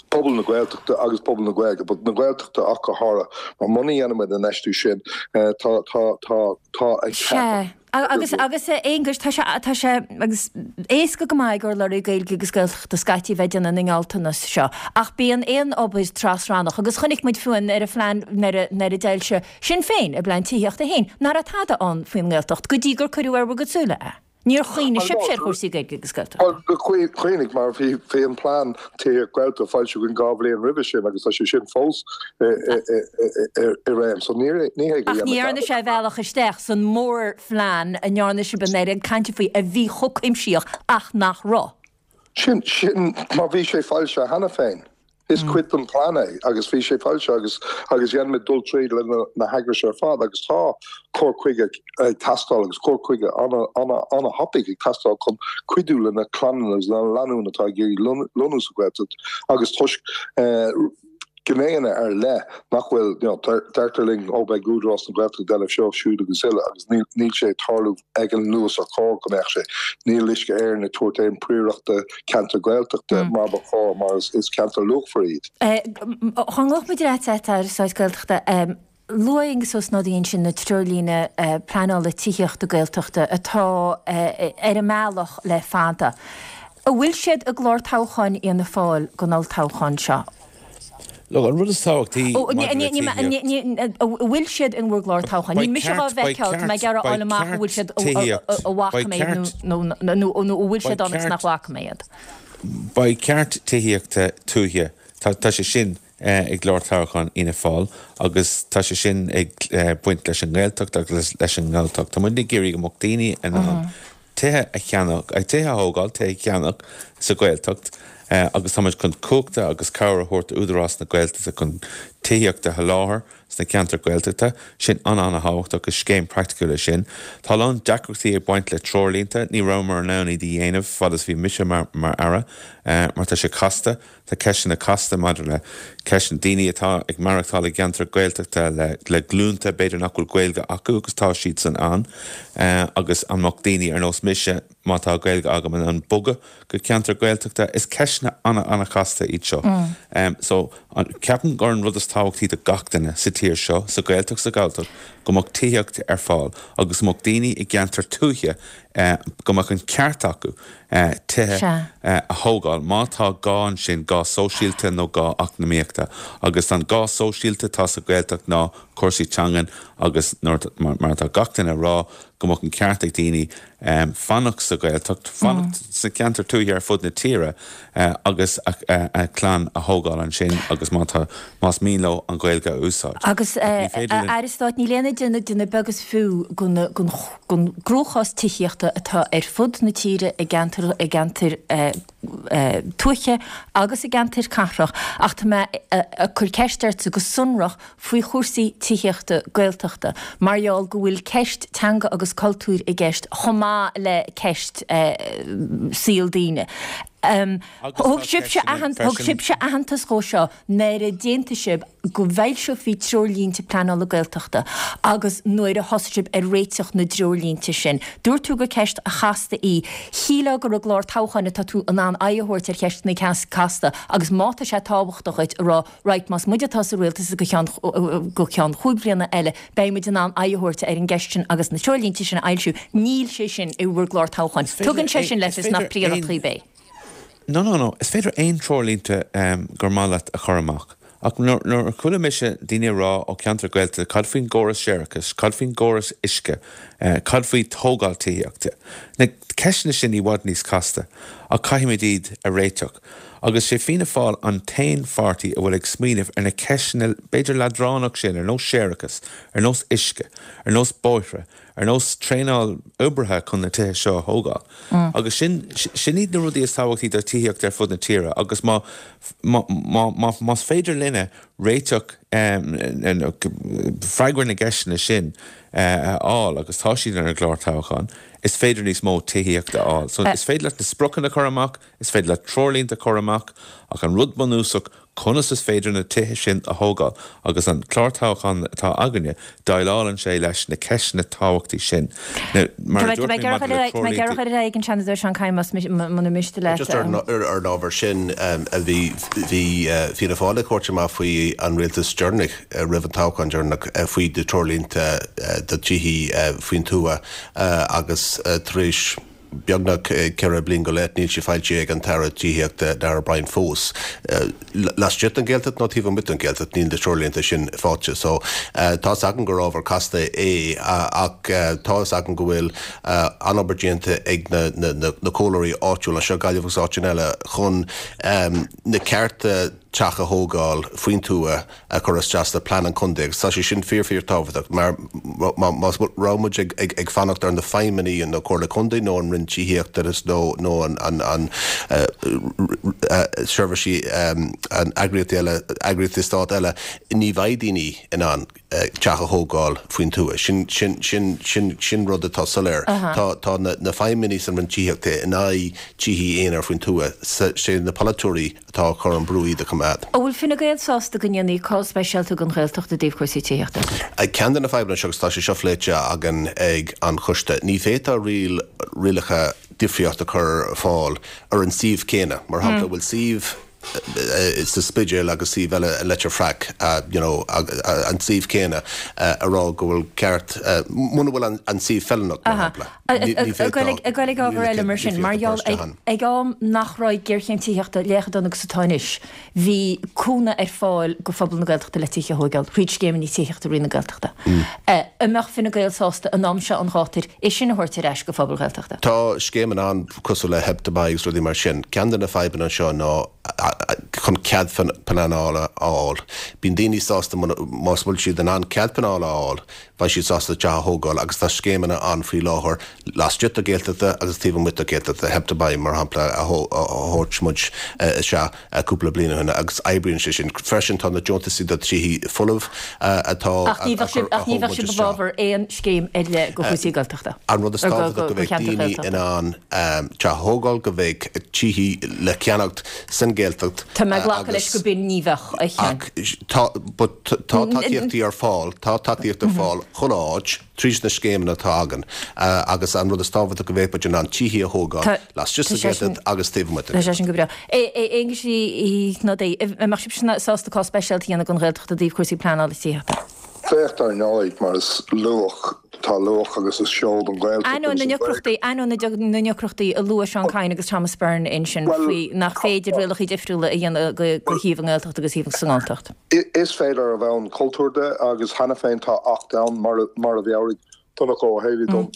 pobal na Gaeltachta agus pobal na Gaeilge, but na Gaeltachta ach go háirithe, mar muna dhéanann muid an infheistiú sin tá tá tá tá ag Sea. Agus, agus a Aonghuis, tá sé, tá sé, agus éasca go maith ag urlabhraí Gaeilge agus Gaeltachta scaití bheith ag déanamh na ngealltanas seo, ach bíonn aon obair tras-rannach, agus chonaic muid fiú ar an phlean nuair a, nuair a d'fhoilsigh Sinn Féin a bplean tithíochta féin, nach raibh tada ann faoin nGaeltacht go dtí gur cuireadh ar bhur gcuid súile é. Níor chuimhnigh sibhse ar chúrsaí Gaeilge agus Gaeltachta. Bhuel, chuimhnigh, mar bhí bhí an plean tithíocht Gaeltachta foilsithe againn 2 bhliain roimhe sin agus tá sé sin fós i réim. So ní ní hé go Ach ní dhearna sé a bhealach isteach san mórphlean a ndearna sibh an oiread cainte faoi a bhí chomh cuimsitheach ach nach raibh. Sin, sin, mar bhí sé foilsithe cheana féin. Is cuid den phlean é agus bhí sé foilsithe agus, agus dhein muid dul tríd le na, na heagrais ar fad agus tá cur chuige ag teastáil agus cur chuige ana, ana, ana thapaidh ag teastáil chun cuidiú le na clanna agus na lánúin atá ag iarraidh lonnú sa Ghaeltacht agus toisc eh, gnéanna ar leith nach bhfuil, you know, deirtear linn, ó beidh Údarás na Gaeltachta ag déanamh seo, siúd agus uile agus níl, níl sé ag tarlú ag an luas ar chóir go mbeadh sé. Níl Uisce Éireann ag tabhairt aon príoracht do cheantair Ghaeltachta mar ba chóir mar is, is ceantair luachmhar iad. Dá ngabhfadh muid ar ais leat, Aire Stáit Gaeltachta, Luaigh Aengus Ó Snodaigh ansin na treoirlíne pleanála tithíochta Gaeltachta atá ar an mbealach le fada. An bhfuil siad i gclár toghcháin Fhianna Fáil don olltoghchán seo? Look, an rud is tábhachtaí maidir le tithíocht. An bhfuil siad in bhur gclár toghcháin? Níl mise dhá bhfeiceáil, tá mé ag iarraidh a fháil amach an bhfuil siad, a bhfaca mé nó an bhfuil siad ann agus nach bhfaca mé iad. Beidh ceart tithíochta tuaithe, tá sé sin i gclár toghcháin Fhianna Fáil agus tá sé sin ag baint leis an nGaeltacht agus leis an nGalltacht. Tá muid ag iarraidh go mbeadh daoine in ann tithe a cheannach, tithe a thógáil, tithe a cheannach sa Ghaeltacht agus tá muid chun cumhachta agus cabhair a thabhairt d'Údarás na Gaeltachta chun. Tithíocht a sholáthar sna ceantair Ghaeltachta, sin an-an-thábhachtach, is scéim praiticiúil é sin. Tá a lán deacrachtaí ag baint le treoirlínte, ní rabhamar in ann iad a dhéanamh fad is bhí mise mar mar Aire, mar tá sé casta, tá ceisteanna casta maidir le ceisteanna daoine atá ag maireachtáil i gceantar Gaeltachta le le glúnta, b'fhéidir nach bhfuil Gaeilge acu agus tá siadsan ann, agus an mbeadh daoine ar nós mise, má tá Gaeilge agam, in ann bogadh go ceantar Gaeltachta? Is ceisteanna an-an-chasta iad seo. So, ceapaim gur an rud is tábhachtaí do gach duine sa tír seo, sa Ghaeltacht, sa Ghalltacht, go mbeadh tithíocht ar fáil agus go mbeadh daoine i gceantar tuaithe, go mbeadh an ceart acu tithe a thógáil má tá gá ansin, gá sóisialta nó gá eacnamaíochta. Agus an gá sóisialta atá sa Ghaeltacht ná cúrsaí teangan agus mar atá gach duine a rá, go mbeadh an ceart ag daoine fanacht sa Ghaeltacht, fanacht sna ceantair tuaithe ar fud na tíre agus a gclann a thógáil ansin agus má tá, más mian leo an Ghaeilge a úsáid. Agus, a Aire Stáit, níl aon duine ag déanamh beag is fiú den gcruachás tithíochta atá ar fud na tíre i gceantair, i gceantair tuaithe agus i gceantair cathrach ach tá mé ag cur ceist ortsa go sonrach faoi chúrsaí tithíochta Gaeltachta mar gheall go bhfuil ceist teanga agus cultúir i gceist chomh maith le ceist saol daoine. Thug sibhse aitheantas dhó seo nuair a d'aontaigh sibh go bhfoilseofaí treoirlínte pleanála Gaeltachta agus nuair a thosaigh sibh ar réiteach na dtreoirlínte sin. Dúirt tú gur ceist chasta í. Shílfeá gur i gclár toghcháin atá tú in ann aghaidh a thabhairt ar cheisteanna casta agus má tá sé tábhachtach duit a rá right, más muid atá sa rialtas go ceann go ceann chúig bhliana eile, beidh muid in ann aghaidh a thabhairt ar an gceist sin agus na treoirlínte sin a fhoilsiú. Níl sé sin i bhur gclár toghcháin. Tugann sé sin le fios nach príoracht dhaoib é. No, no, no. Is féidir aon treoirlínte gur maith leat a chur amach. Ach nuair a chuala mise daoine ag rá ó cheantar Gaeltachta cad faoin gcóras séarachais, cad faoin gcóras uisce, cad faoi tógáil tithíochta, na ceisteanna sin i bhfad níos casta ach caithfimid iad a réiteach. Agus sé Fianna Fáil an t-aon pháirtí a bhfuil ag smaoineamh ar na ceisteanna b'fhéidir leadránach sin, ar nós séarachas, ar nós uisce, ar nós bóithre, ar nós traenáil oibrithe chun na tithe seo a thógáil. Agus sin, sin iad na rudaí is tábhachtaí do tithíocht ar fud na tíre agus má, má, má, má, más féidir linne réiteach, freagra na gceisteanna sin a fháil agus tá siad ar an gclár toghcháin, is féidir níos mó tithíochta a fháil. So is féidir leat na spriocanna a chur amach, Is féidir leat treoirlínte a chur amach, ach an rud bunúsach, conas is féidir na tithe sin a thógáil? Agus an clár toghcháin atá againne, déileálann sé leis na ceisteanna tábhachtaí sin. Now, mar a dúirt mé maidir le treoirlínte. Tá mé ag iarraidh a chur ar aghaidh ag an Seanadóir Seán Kyne, más muna miste leat. Just ar an ábhar sin, bhí Fianna Fáil ag tabhairt amach faoi an rialtas deireanach, roimh an toghchán deireanach, faoi na treoirlínte do tithe faoin tuath agus tar éis, beagnach 4 bliain go leith, níl sé foilsithe ag an tAire Tithíochta, Darragh O'Brien fós. Laistigh den Ghaeltacht nó taobh amuigh den Ghaeltacht, níl na treoirlínte sin faighte. So, tá's agam gur ábhar casta é ach tá's agam go bhfuil an-obair déanta ag na comhairleoirí áitiúla anseo, Gaillimh agus áiteanna eile, chun na cearta teach a thógáil faoin tuath a chur isteach sna plean an chontae agus tá sé sin fíor fíor tábhachtach mar má raibh muid ag ag fanacht ar na feidhmeannaigh na Comhairle Contae nó an Roinn Tithíochta nó nó an an an seirbhísí an eagraíochtaí eile eagraíochtaí stát eile ní bheidh daoine in ann teach a thógáil faoin tuath. Sin sin sin sin sin rud atá soiléir. Tá tá na na feidhmeannaigh san Roinn Tithíochta in aghaidh tithí aonair faoin tuath. Sé na polaiteoirí atá ag cur an brú iad a choimeád. An bhfuil Fine Gael sásta go ndéanfaí cás speisialta den Ghaeltacht i dtaobh cúrsaí tithíochta? Ceann de na fadhbanna seo, agus tá sé seo phléite againn ag an choiste, ní féadfá riail, rialacha difríocht a chur ar fáil ar an suíomh céanna. Mar shampla, bhfuil suíomh sa Spidéal agus suíomh eile i Leitir Fraic, you know, an suíomh céanna, a rá go bhfuil ceart, muna bhfuil an suíomh feiliúnach, mar shampla. Ag goil ag ábhar eile mar sin, mar gheall ag am nach raibh géarchéim tithíochta chomh dona agus atá anois, bhí cúnamh ar fáil go phobal na Gaeltachta le tithe a thóigeáil thríd scéimeanna tithíochta Roinn na Gaeltachta. An mbeadh Fine Gael sásta an am seo an ghátair é sin a thabhairt ar ais go phobal Ghaeltachta? Tá scéimeanna ann cosúil le Help to Buy agus rudaí mar sin. Ceann de na fadhbanna anseo ná. chun cead pleanála a fháil. Bíonn daoine sásta más bhfuil siad in ann cead pleanála a fháil, beidh siad sásta teach a thógáil agus tá scéimeanna ann faoi láthair laistigh de Gaeltachta agus taobh amuigh de Gaeltachta, Help to Buy mar shampla a thabhairt muid isteach cúpla bliain ó shin agus oibríonn sé sin. Freisin tá na deontaisí do tithe folamh atá Ach ní bheadh sibh ach ní bheadh sibh i bhfabhar aon scéim ar leith do chúrsaí Gaeltachta? An rud is tábhachtach go mbeidh daoine in ann teach a thógáil, go mbeidh tithe le ceannacht san Ghaeltacht Tá mé ag glacadh leis go b'in ní bheadh, a Sheáin. Ach tá, but tá tacaíochtaí ar fáil, tá tacaíocht ar fáil chuile áit tríd na scéimeanna atá againn agus an rud is tábhachtach go mbeidh muid in ann tithe a thógáil laistigh sa Ghaeltacht agus taobh amuigh den Tá sé sin go breá. Aengus Uí Shnodaigh, an mbeadh sibhse sásta cás speisialta a dhéanamh don Ghaeltacht i dtaobh cúrsaí pleanála tithíochta? Bheadh dar ndóigh, mar is luach, tá luach agus is seoid an Ghaeltacht Ainneoin na ndeacrachtaí, ainneoin na ndeacrachtaí a luaigh Seán Kyne agus Thomas Byrne ansin faoi nach féidir rialacha difriúla a dhéanamh do shuíomh i nGaeltacht agus shuíomh sa nGalltacht. Is féidir ar bhonn cultúir de agus cheana féin tá Acht ann, mar a mheabhraigh Donncha Ó Héalaí dom,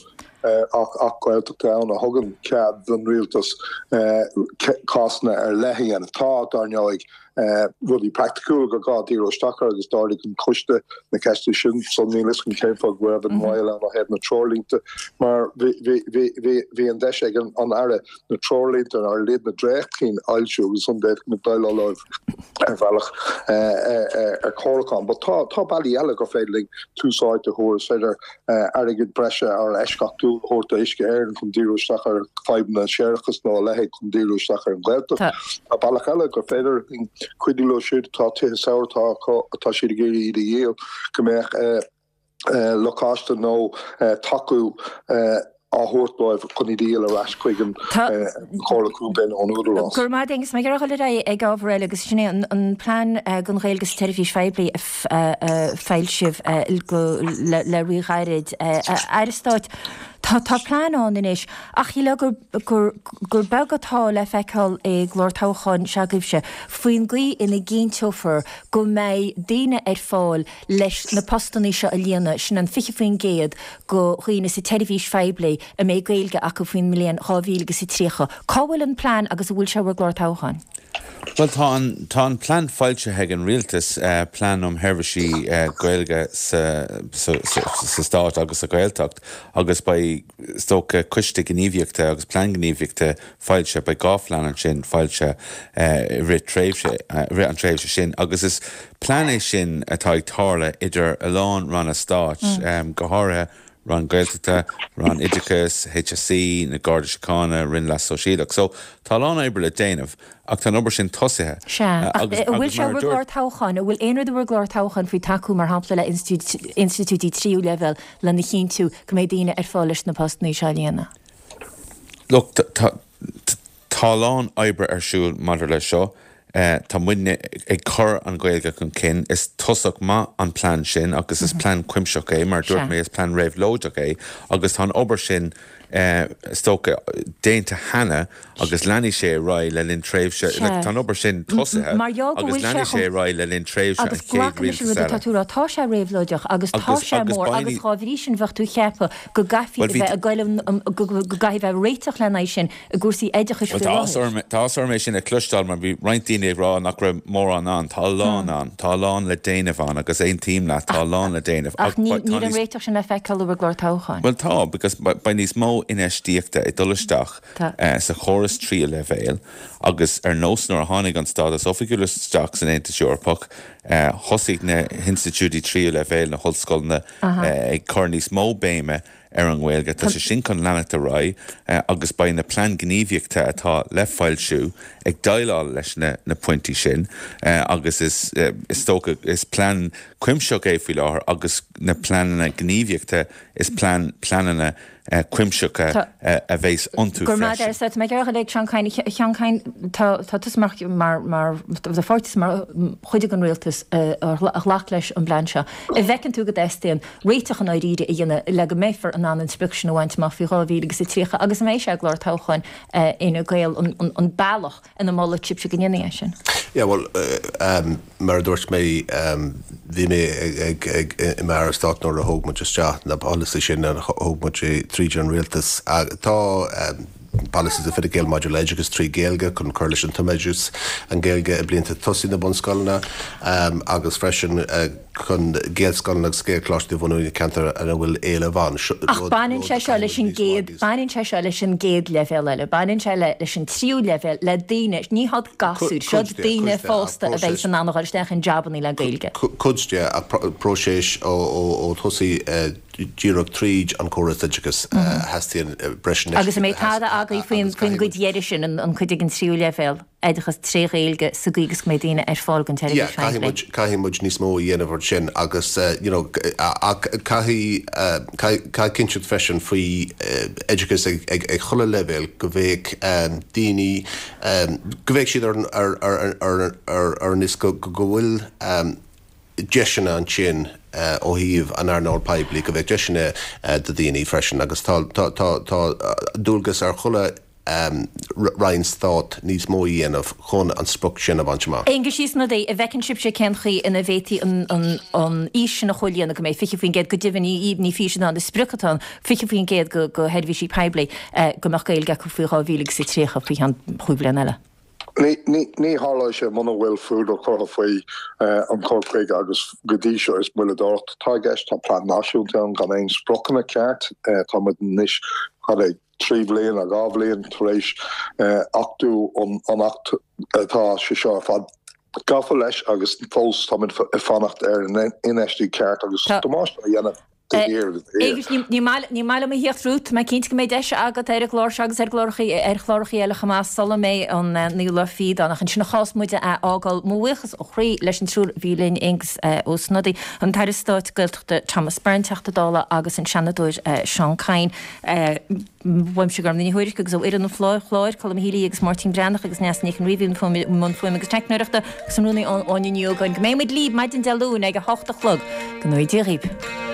Acht Gaeltachta ann a thugann cead don rialtas cásanna ar leith a dhéanamh. Tá, dar ndóigh, rudaí praiticiúla gur gá díriú isteach air agus d'ardaigh an coiste na ceisteanna sin so níl fhios agam cén fáth go raibh an mhoill ann ó thaobh na treoirlínte mar bhí an deis ag an Aire na treoirlínte ar a laghad na dréachtchinn a fhoilsiú agus ansan d'fhéadfadh muid déileáil leo ar bhealach ar chomhairliúchán. But tá tá bealaí eile gur féidir linn tús áite a thabhairt, is féidir airgead breise ar eisceachtúil a thabhairt do Uisce Éireann chun díriú isteach ar fadhbanna séarachais nó a leithéid chun díriú isteach ar an Ghaeltacht. Tá bealach eile gur féidir linn cuidiú leo siúd atá tithe saora atá acu atá siad ag iarraidh iad a dhíol go mbeadh lacáiste nó tacú á thabhairt dóibh chun iad a dhíol ar ais chuig an Chomhairle Contae nó an Údarás. Go raibh maith agat Aengus. Mé ag iarraidh dul ar aghaidh ag ábhar eile agus sin é an plean don Ghaeilge sa tseirbhís phoiblí a foilsíodh le rí-ghairid. A Aire Stáit, tá tá plean ann anois ach shílfeá gur gur gur beag atá le feiceáil i gclár toghcháin s'agaibhse faoin gcaoi ina gcinnteofar go mbeidh daoine ar fáil leis na postannaí seo a líonadh, sin an 20% de dhaoine sa tseirbhís phoiblí a mbeidh Gaeilge acu faoin mbliain 2030. Cá bhfuil an plean agus an bhfuil sé i bhur gclár toghcháin? Bhuel, tá an, tá an plean foilsithe ag an Rialtas, Plean um Sheirbhísí Gaeilge sa, sa, sa Stát agus sa Ghaeltacht agus beidh, is dócha, coiste gníomhaíochta agus plean gníomhaíochta foilsithe, beidh 2 phlean ansin foilsithe i rith tréimhse, i rith an tréimhse sin agus is plean é sin atá ag tarlú idir a lán ranna stáit, go háirithe Roinn Gaeltachta, Roinn Oideachais, HSE, na Garda Síochána, Roinn Leas Sóisialach. So, tá a lán oibre le déanamh ach tá an obair sin tosaithe. Sea, ach an bhfuil sé i bhur gclár toghcháin, an bhfuil aon rud i bhur gclár toghcháin faoi tacú mar shampla le institiúidí tríú leibhéal lena chinntiú go mbeidh daoine ar fáil leis na postannaí seo a líonadh? Look, tá a lán oibre ar siúl maidir leis seo. Tá muidne ag cur an Ghaeilge chun cinn. Is tosach maith an plean sin agus is plean cuimsitheach é. Mar a dúirt mé, is plean réabhlóideach é agus tá an obair sin, is dócha, déanta cheana agus leanfaidh sé ar aghaidh le linn tréimhse, like, tá an obair sin tosaithe agus leanfaidh sé ar aghaidh le linn tréimhse an Agus chéad glacaim leis an rialtas rud atá eile. tú a rá, tá sé réabhlóideach agus tá Agus, sé agus mór beidh agus ní. dhá bhrí sin bheadh tú ag ceapadh go gcaithfí Bhuel a bhí bheith ag goil an, go gcaithfidh a bheith réiteach lena aghaidh sin i gcúrsaí oideachais Bhuel faoi tá áthas láthair. orm, tá áthas orm é sin a chloisteáil mar bhí roinnt daoine ag rá nach raibh mórán ann. Tá a lán ann. Tá a lán le déanamh ann agus aontaím leat, tá a lán le déanamh. Ach Ach ní, tá níl an níos, réiteach sin le feiceáil i bhur gclár toghcháin. Bhuel tá, because beidh níos mó infheistíochta ag dul isteach Tá. sa chóras tríú leibhéal agus ar nós nuair a tháinig an stádas oifigiúil isteach san Aontas Eorpach, thosaigh na hinstitiúidí tríú leibhéal, na hollscoileanna, ag cur níos mó béime ar an nGaeilge. Tá sé sin chun leanacht ar aghaidh agus beidh na plean gníomhaíochta atá le foilsiú ag déileáil leis na pointí sin agus is is dócha is plean cuimsitheach é faoi láthair agus na pleananna gníomhaíochta is plean pleananna cuimsitheacha a bheas iontu Go raibh maith freisin. agat. Tá mé ag iarraidh a dhul ag Seán Kyne. A Sheáin Kyne, tá tá tusa mar mar mar do pháirtí mar chuid den rialtas a ghlac leis an bplean seo. An bhfeiceann tú go dteastaíonn réiteach i ndáiríre a dhéanamh le go mbeifear in ann an sprioc sin a bhaint amach faoi 2030 agus an mbeidh sé i gclár toghcháin Fhine Gael an bealach ina molfaidh sibhse go ndéanfaí é sin? Yeah, bhuel, mar a dúirt mé, bhí mé ag, ag, i m'Aire Stáit nuair a thóg muid isteach na polasaí sin, a thóg muid tríd an rialtas. Tá. Polasaí de Fine Gael maidir le oideachas 3 Ghaeilge chun cur leis an tumoideachas, an Ghaeilge i blianta tosaigh na bunscoileanna agus freisin chun Gaelscoileanna agus Gaelcholáistí a bhunú i gceantair ina bhfuil éileamh ann. Ach baineann sé seo leis an gcéad, baineann sé seo leis an gcéad leibhéal eile, baineann sé le leis an tríú leibhéal, le daoine, ní hiad gasúir, seo daoine fásta a bheidh in ann a dhul isteach in jabannaí le Gaeilge. Cuid de, ach próiseas ó thosaigh díreach tríd an córas oideachais a theastaíonn breis infheistíochta. Agus an mbeidh tada agaibh faoin gcuid dheiridh sin, an cuid ag an tríú leibhéal, oideachas tré Ghaeilge sa gcaoi agus go mbeidh daoine ar fáil don tseirbhís Yeah, caithfidh muid, caithfidh muid níos mó a dhéanamh ar sin agus you know ach caithfidh, caithfidh cinnteacht freisin faoi oideachas ag, ag, ag chuile leibhéal go mbeadh daoine, go mbeadh siad ar, ar, ar, ar, ar, ar an fhios go, go bhfuil deiseanna ansin ó thaobh an earnáil poiblí, go mbeadh deiseanna do dhaoine freisin agus tá, tá, tá, tá dualgas ar chuile Roinn Stáit níos mó a dhéanamh chun an sprioc sin a bhaint amach. Aengus Ó Snodaigh, an bhfeiceann sibhse cén chaoi ina bhféadfaí an fhís sin a chomhlíonadh, go mbeidh 20%, go deimhin ní fís atá ann, is sprioc atá ann, 20% de sheirbhísigh poiblí go mbeadh Gaeilge acu faoi 2030, faoi cheann chúig bhliana eile? Ní tharlóidh sé muna bhfuil fuadar curtha faoi an cur chuige agus go dtí seo is moilleadóireacht atá i gceist. Tá plean náisiúnta ann gan aon spriocanna ceart. Tá muid anois cad é 3 bhliain nó 2 bhliain tar éis achtú an Acht atá sé seo ar fad gafa leis agus fós táimid ag fanacht ar an infheistíocht ceart agus damáiste á dhéanamh. Aengus, ní maith liom a thíocht romhat, tá mé cinnte go mbeidh deis agat ar an gclár seo agus ar chláracha eile chomh maith sula mbeidh an naoú lá fichead ann. Ach ansin a chás muid a fhágáil, mo bhuíochas ó chroí leis an triúr a bhí linn, Aengus Ó Snodaigh, an tAire Stáit Gaeltachta Thomas Byrne, Teachta Dála agus an Seanadóir Seán Kyne. Uaimse Gormfhlaith Ní Thuairisg agus ó fhoireann an chláir, Colm Healy agus Máirtín Breathnach agus Neasa Nic an Rí i mbun fuaime agus teicneoireachta agus an rúnaí Áine Ní Ógáin. Go mbeidh muid libh maidin Dé Luain ag a hocht a chlog. Go ngnóthaí Dia dhaoibh.